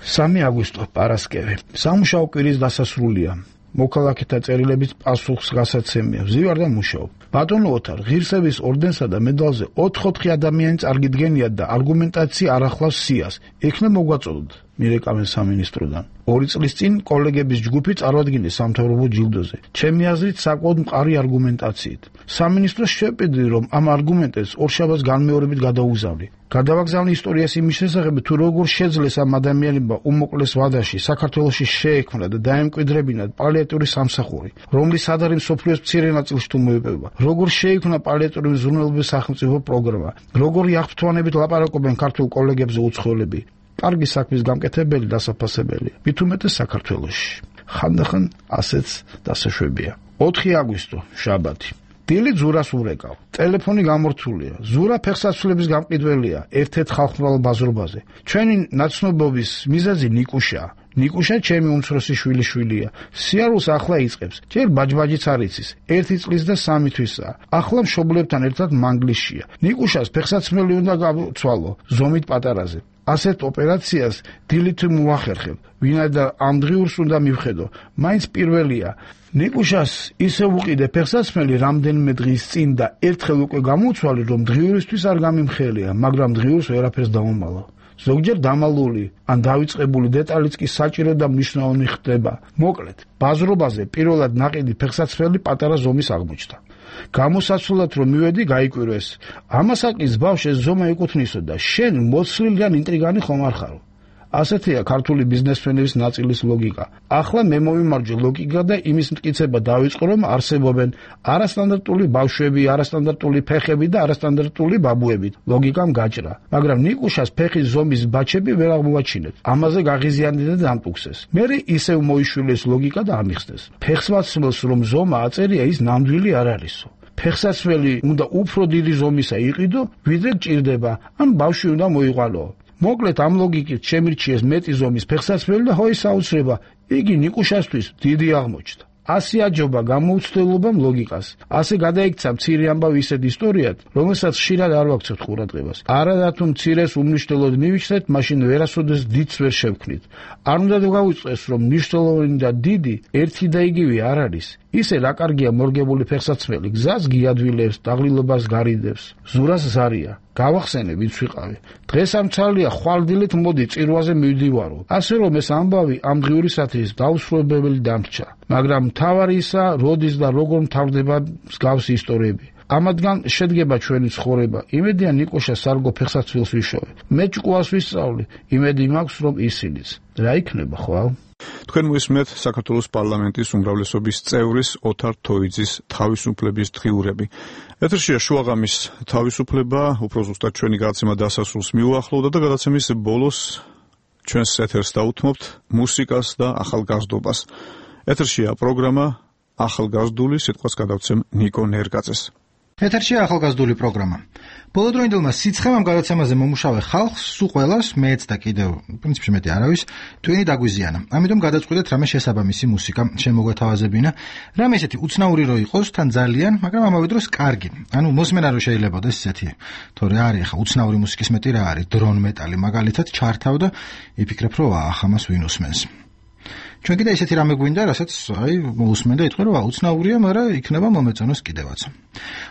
3 აგვისტო, პარასკევი. სამუშაო კვირის დასასრულია. მოქალაქეთა წერილებით პასუხს გასაცემია. ვზივარ და მუშაობ. ბატონო ოთარ, ღირსების ორდენსა და მედალზე 4 ადამიანი წარგიდგენიათ და არგუმენტაცია არ ახლავს სიას. იქნებ მოგვაწოდოთ. მირეკავენ სამინისტროდან. 2 წლის წინ კოლეგების ჯგუფი წარვადგინეს სამთავრობო ჯილდოზე. ჩემი აზრით საკმაოდ მყარი არგუმენტაციით. სამინისტროს შეპირდი, რომ ამ არგუმენტებს ორშაბათს განმეორებით გადაუგზავნი. გადავაგზავნი ისტორიას იმის შესახებ, თუ როგორ შეძლეს ამ ადამიანებმა უმოკლეს ვადაში საქართველოში შეექმნა და დაემკვიდრებინათ პალიატიური სამსახური, რომლის სადარი მსოფლიოს მცირე ნაწილში თუ მოიპოვება. როგორ შეიქმნა პალიატიური მზრუნველობის სახელმწიფო პროგრამა, როგორი აღფრთოვანებით ლაპარაკობენ ქართულ კოლეგებზე უცხოელები. კარგი საქმის გამკეთებელი დასაფასებელია. მით უმეტეს საქართველოში. ხანდახან ასეც დასაშვებია. 4 აგვისტო, შაბათი. დილით ზურას ურეკავ. ტელეფონი გამორთულია. ზურა ფეხსაცვლების გამყიდველია ერთ-ერთ ხალხმრავალ ბაზრობაზე. ჩვენი ნაცნობობის მიზეზი ნიკუშაა. ნიკუშა ჩემი უმცროსი შვილიშვილია. სიარულს ახლა იწყებს. ჯერ ბაჯბაჯიც არ იცის. 1 წლის და 3 თვისაა. ახლა მშობლებთან ერთად მანგლისშია. ნიკუშას ფეხსაცმელი უნდა გავცვალო, ზომით პატარაზე. ასეთ ოპერაციას დილით მოახერხებ. ვინაიდან ამ დღიურს უნდა მივხედო. მაინც პირველია. ნიკუშას ისე უყიდე ფეხსაცმელი რამდენიმე დღის წინ და ერთხელ უკვე გამოცვალე, რომ დღიურისთვის არ გამიმხელია, მაგრამ დღიურს ვერაფერს დავამალავ. ზოგჯერ დამალული ან დავიწყებული დეტალიც კი საჭირო და მნიშვნელოვანი ხდება. მოკლედ, ბაზრობაზე პირველად ნაყიდი ფეხსაცმელი პატარა ზომის აღმოჩნდა. გამოსაცვლად რომ მივედი, გაიკვირვეს. ამასაკის ბავშვს ზომა ეკუთვნისო და შენ მოცლილი ან ინტრიგანი ხომ არ ხარო? ასეთია ქართული ბიზნესმენების ნაწილის ლოგიკა. ახლა მე მოვიმარჯვე ლოგიკა და იმის მტკიცება დავიწყო, რომ არსებობენ არასტანდარტული ბავშვები, არასტანდარტული ფეხები და არასტანდარტული ბაბუები. ლოგიკამ გაჭრა, მაგრამ ნიკუშას ფეხის ზომის ბაჩები ვერ აღმოაჩინეთ. ამაზე გაღიზიანდა და დამტუქსეს. მერე ისევ მოიშვილეს ლოგიკა და ამიხსნეს. ფეხსაცმელს რომ ზომა აწერია, ის ნამდვილი არ არისო. ფეხსაცმელი უნდა უფრო დიდი ზომისა იყიდო, ვიდრე გჭირდება, ან ბავშვი უნდა მოიყვანო. მოკლედ ამ ლოგიკით შემირჩიეს მეტი ზომის ფეხსაცმელი და ჰოი საოცრება, იგი ნიკუშასთვის დიდი აღმოჩნდა. ასე აჯობა გამოუცდელობამ ლოგიკას. ასე გადაიქცა მცირე ამბავი ისეთ ისტორიად, რომელსაც ხშირად არ ვაქცევთ ყურადღებას. არადა თუ მცირეს უმნიშვნელოდ მივიჩნეთ, მაშინ ვერასოდეს დიდს ვერ შევქმნით. არ უნდა გავიწყეს, რომ მნიშვნელოვანი და დიდი ერთი და იგივე არ არის. ისე რა კარგია მორგებული ფეხსაცმელი, გზას გიადვილებს, დაღლილობას გარიდებს. ზურას ზარია. გავახსენე, ვინც ვიყავი. დღეს ამ ცალია ხვალდილით მოდი წირვაზე მივდივარო. ასე რომ ეს ამბავი ამ დღიურისათვის დაუსრულებელი დამრჩა. მაგრამ მთავარი ისა, როდის და როგორ მთავრდება მსგავსი ისტორიები. ამათგან შედგება ჩვენი ცხოვრება. იმედია ნიკოშა სარგო ფეხსაცმელს ვიშოვე. მე ჭკუას ვისწავლი. იმედი მაქვს, რომ ისინიც. რა იქნება ხვალ? თქვენ მოისმენთ საქართველოს პარლამენტის უმრავლესობის წევრის ოთარ თოიძის თავისუფლების დღიურები. ეთერშია შუაღამის თავისუფლება, უფრო ზუსტად ჩვენი გადაცემა დასასრულს მიუახლოვდა და გადაცემის ბოლოს ჩვენს ეთერს დაუთმობთ მუსიკას და ახალგაზრდობას. ეთერშია პროგრამა ახალგაზრდული, სიტყვას გადავცემ ნიკო ნერგაძეს. ეთერშია ახალგაზრდული პროგრამა. ბოლოდროინდელმა სიცხემამ გადაცემაზე მომუშავე ხალხს, სულ ყველას, მეც და კიდევ, პრინციპში მეტი არავის, ტვინი დაგვიზიანა. ამიტომ გადაწყვიტეთ რამე შესაბამისი მუსიკა შემოგვეთავაზებინა. რამე ესეთი უცნაური რო იყოს, თან ძალიან, მაგრამ ამავე დროს კარგი. ანუ მოსმენა რო შეიძლებაოდეს ესეთი. თორე არის ახლა უცნაური მუსიკის მეტი რა არის, დრონ მეტალი მაგალითად ჩართავ და იფიქრებ, რომ ახამას ვინ უსმენს. ჩვენ კიდე ესეთი რამე გვინდა, რასაც აი მოусმენ და იტყვი, რომ უცნაურია, მაგრამ იქნება მომეწონოს კიდევაც.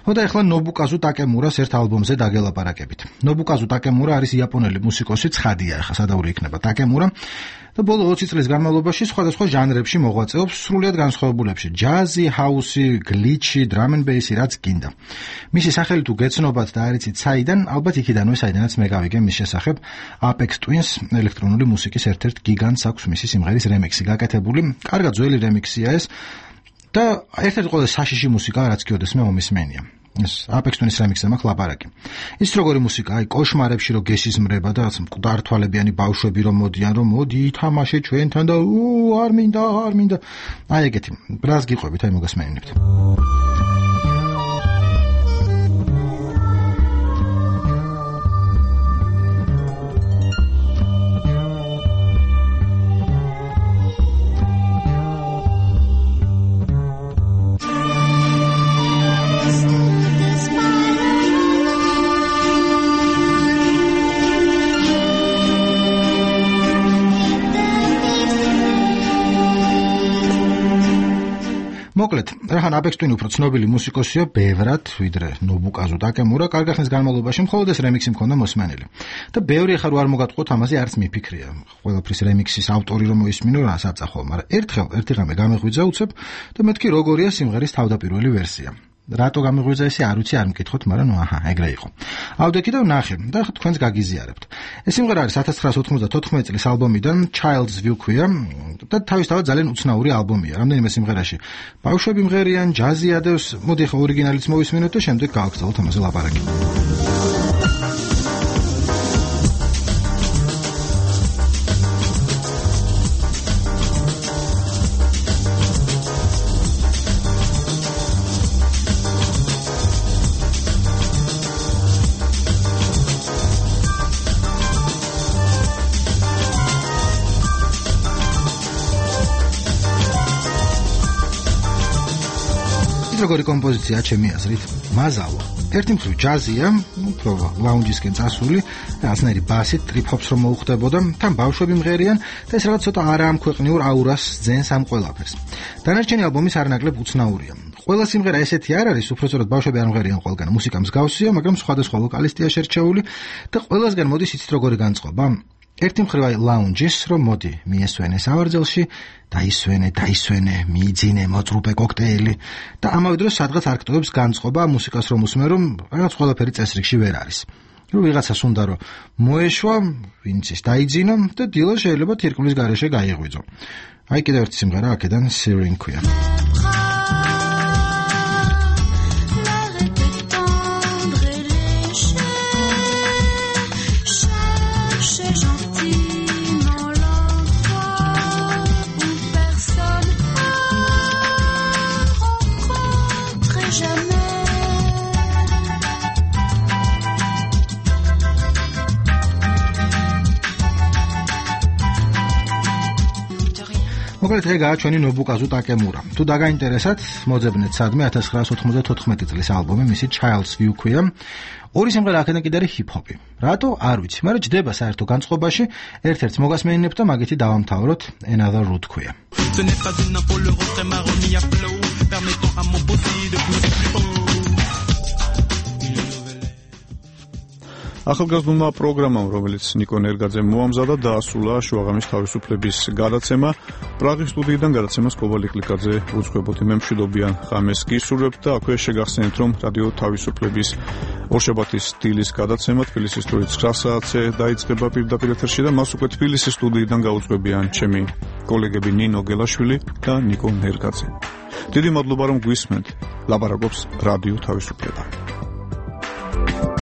ხო და ეხლა ნობუკაზუ ტაკემურას ერთ ალბომზე დაგელაპარაკებით. ნობუკაზუ ტაკემურა არის იაპონელი მუსიკოსი, ცხადია, ახლა სადაური იქნება ტაკემურა. და ბოლო 20 წლის განმავლობაში სხვადასხვა ჟანრებში მოღვაწეობს, სრულიად განსხვავებულებში: ჯაზი, ჰაუსი, გლიჩი, დრამ ენ ბეისი, რაც გინდა. მისი სახელი თუ გეცნობათ და არ იცით საიდან, ალბათ იქიდანვე საიდანაც მე გავიგე მის შესახებ. Apex Twins ელექტრონული მუსიკის ერთ-ერთ გიგანტს აქვს მისი სიმღერის რემიქსი გაკეთებული. კარგად ძველი რემიქსია ეს და ერთ-ერთი ყველაზე საშიში მუსიკა, რაც კიდევ მე მომისმენია. ეს Apex Twins რემიქსზე მაქვს ლაპარაკი. ის როგორი მუსიკა, აი კოშმარებში რო გესიზმრება და მკვდარ თვალებიანი ბავშვები რომ მოდიან, რომ მოდი ითამაშე ჩვენთან და არ მინდა. აი ეგეთი. ბრას გიყვებით, აი მოგესმენინებთ. მოკლედ, რახან Apex Twin უფრო ცნობილი მუსიკოსია ბევრად, ვიდრე ნობუკაზუ ტაკემურა, კარგი ხნის განმავლობაში მხოლოდ ეს რემიქსი მქონდა მოსმენილი. და ბევრი ახლა რო არ მოგატყუოთ, ამაზე არც მიფიქრია. ყველაფრის რემიქსის ავტორი რომ მოისმინო, რა საწახო, მაგრამ ერთხელ ერთი ღამე გამეღვიძა უცებ და მეთქი როგორია სიმღერის თავდაპირველი ვერსია. რატო გამეღვიძა ესე არ ვიცი, არ მკითხოთ, მაგრამ აჰა, ეგრე იყო. ავდექი და ვნახე და თქვენს გაგიზიარებთ. ეს სიმღერა არის 1994 წლის ალბომიდან Child's View ქვია და თავისთავად ძალიან უცნაური ალბომია. რამდენიმე სიმღერაში ბავშვები მღერიან, ჯაზი ადევს, მოდი ახლა ორიგინალიც მოვისმინოთ და შემდეგ გავაგრძელოთ ამაზე ლაპარაკი. როგორი კომპოზიცია ჩემი აზრით, მაზალო. ერთი მხრივ ჯაზია, უფრო ლაუნჯისკენ წასული, რაღაცნაირი ბასით, ტრიპ-ჰოპს რომ მოუხდებოდა, თან ბავშვები მღერიან და ეს რაღაც ცოტა არაამქვეყნიურ აურას ძენს ამ ყველაფერს. დანარჩენი ალბომის არანაკლებ უცნაურია. ყველა სიმღერა ესეთი არ არის, უფრო სწორად ბავშვები არ მღერიან ყველგან. მუსიკა მსგავსია, მაგრამ სხვადასხვა ვოკალისტია შერჩეული და ყველასგან მოდის იცით როგორი განწყობა. ერთი მხრივ აი ლაუნჯის, რომ მოდი მიესვენე სავარძელში, დაისვენე, მიიძინე მოწრუპე კოქტეილი და ამავე დროს სადღაც არქიტექტურებს განწყობა მუსიკას რომ უსმენ, რომ რაღაც ყველაფერი წესრიგში ვერ არის. რომ ვიღაცას უნდა რომ მოეშვა, ვინც ის დაიძინო და დილა შეიძლება თირკმლის გარეშე გაიღვიძო. აი კიდევ ერთი სიმღერა აქედან Siren ქვია. მოკლედ ეგ გააჩვენი ნობუკაზუ ტაკემურა. თუ დაგაინტერესათ, მოძებნეთ სადმე 1994 წლის ალბომი, მისი Child's View ქვია. ორი სიმღერა აქედან კიდე არის ჰიპ-ჰოპი. რატო? არ ვიცი, მაგრამ ჯდება საერთო განწყობაში, ერთ-ერთ მოგასმენინებ და მაგითი დავამთავროთ, Another Route ქვია. Ce n'est pas une info, le refrain m'a remis à flot, permettant à mon bossi de pousser plus haut. ახალგაზრდულმა პროგრამამ, რომელიც ნიკო ნერგაძემ მოამზადა, დაასრულა შუაღამის თავისუფლების გადაცემა. პრაღის სტუდიიდან გადაცემას კობალიკ ლიკაძე უძღვებოდი. მე მშვიდობიან ღამეს გისურვებთ და აქვე შეგახსენეთ, რომ რადიო თავისუფლების ორშაბათის დილის გადაცემა თბილისის დროით 9 საათზე დაიწყება პირდაპირ ეთერში და მას უკვე თბილისის სტუდიიდან გაუძღვებიან ჩემი კოლეგები ნინო გელაშვილი და ნიკო ნერგაძე. დიდი მადლობა, რომ გვისმენთ. ლაპარაკობს რადიო თავისუფლება.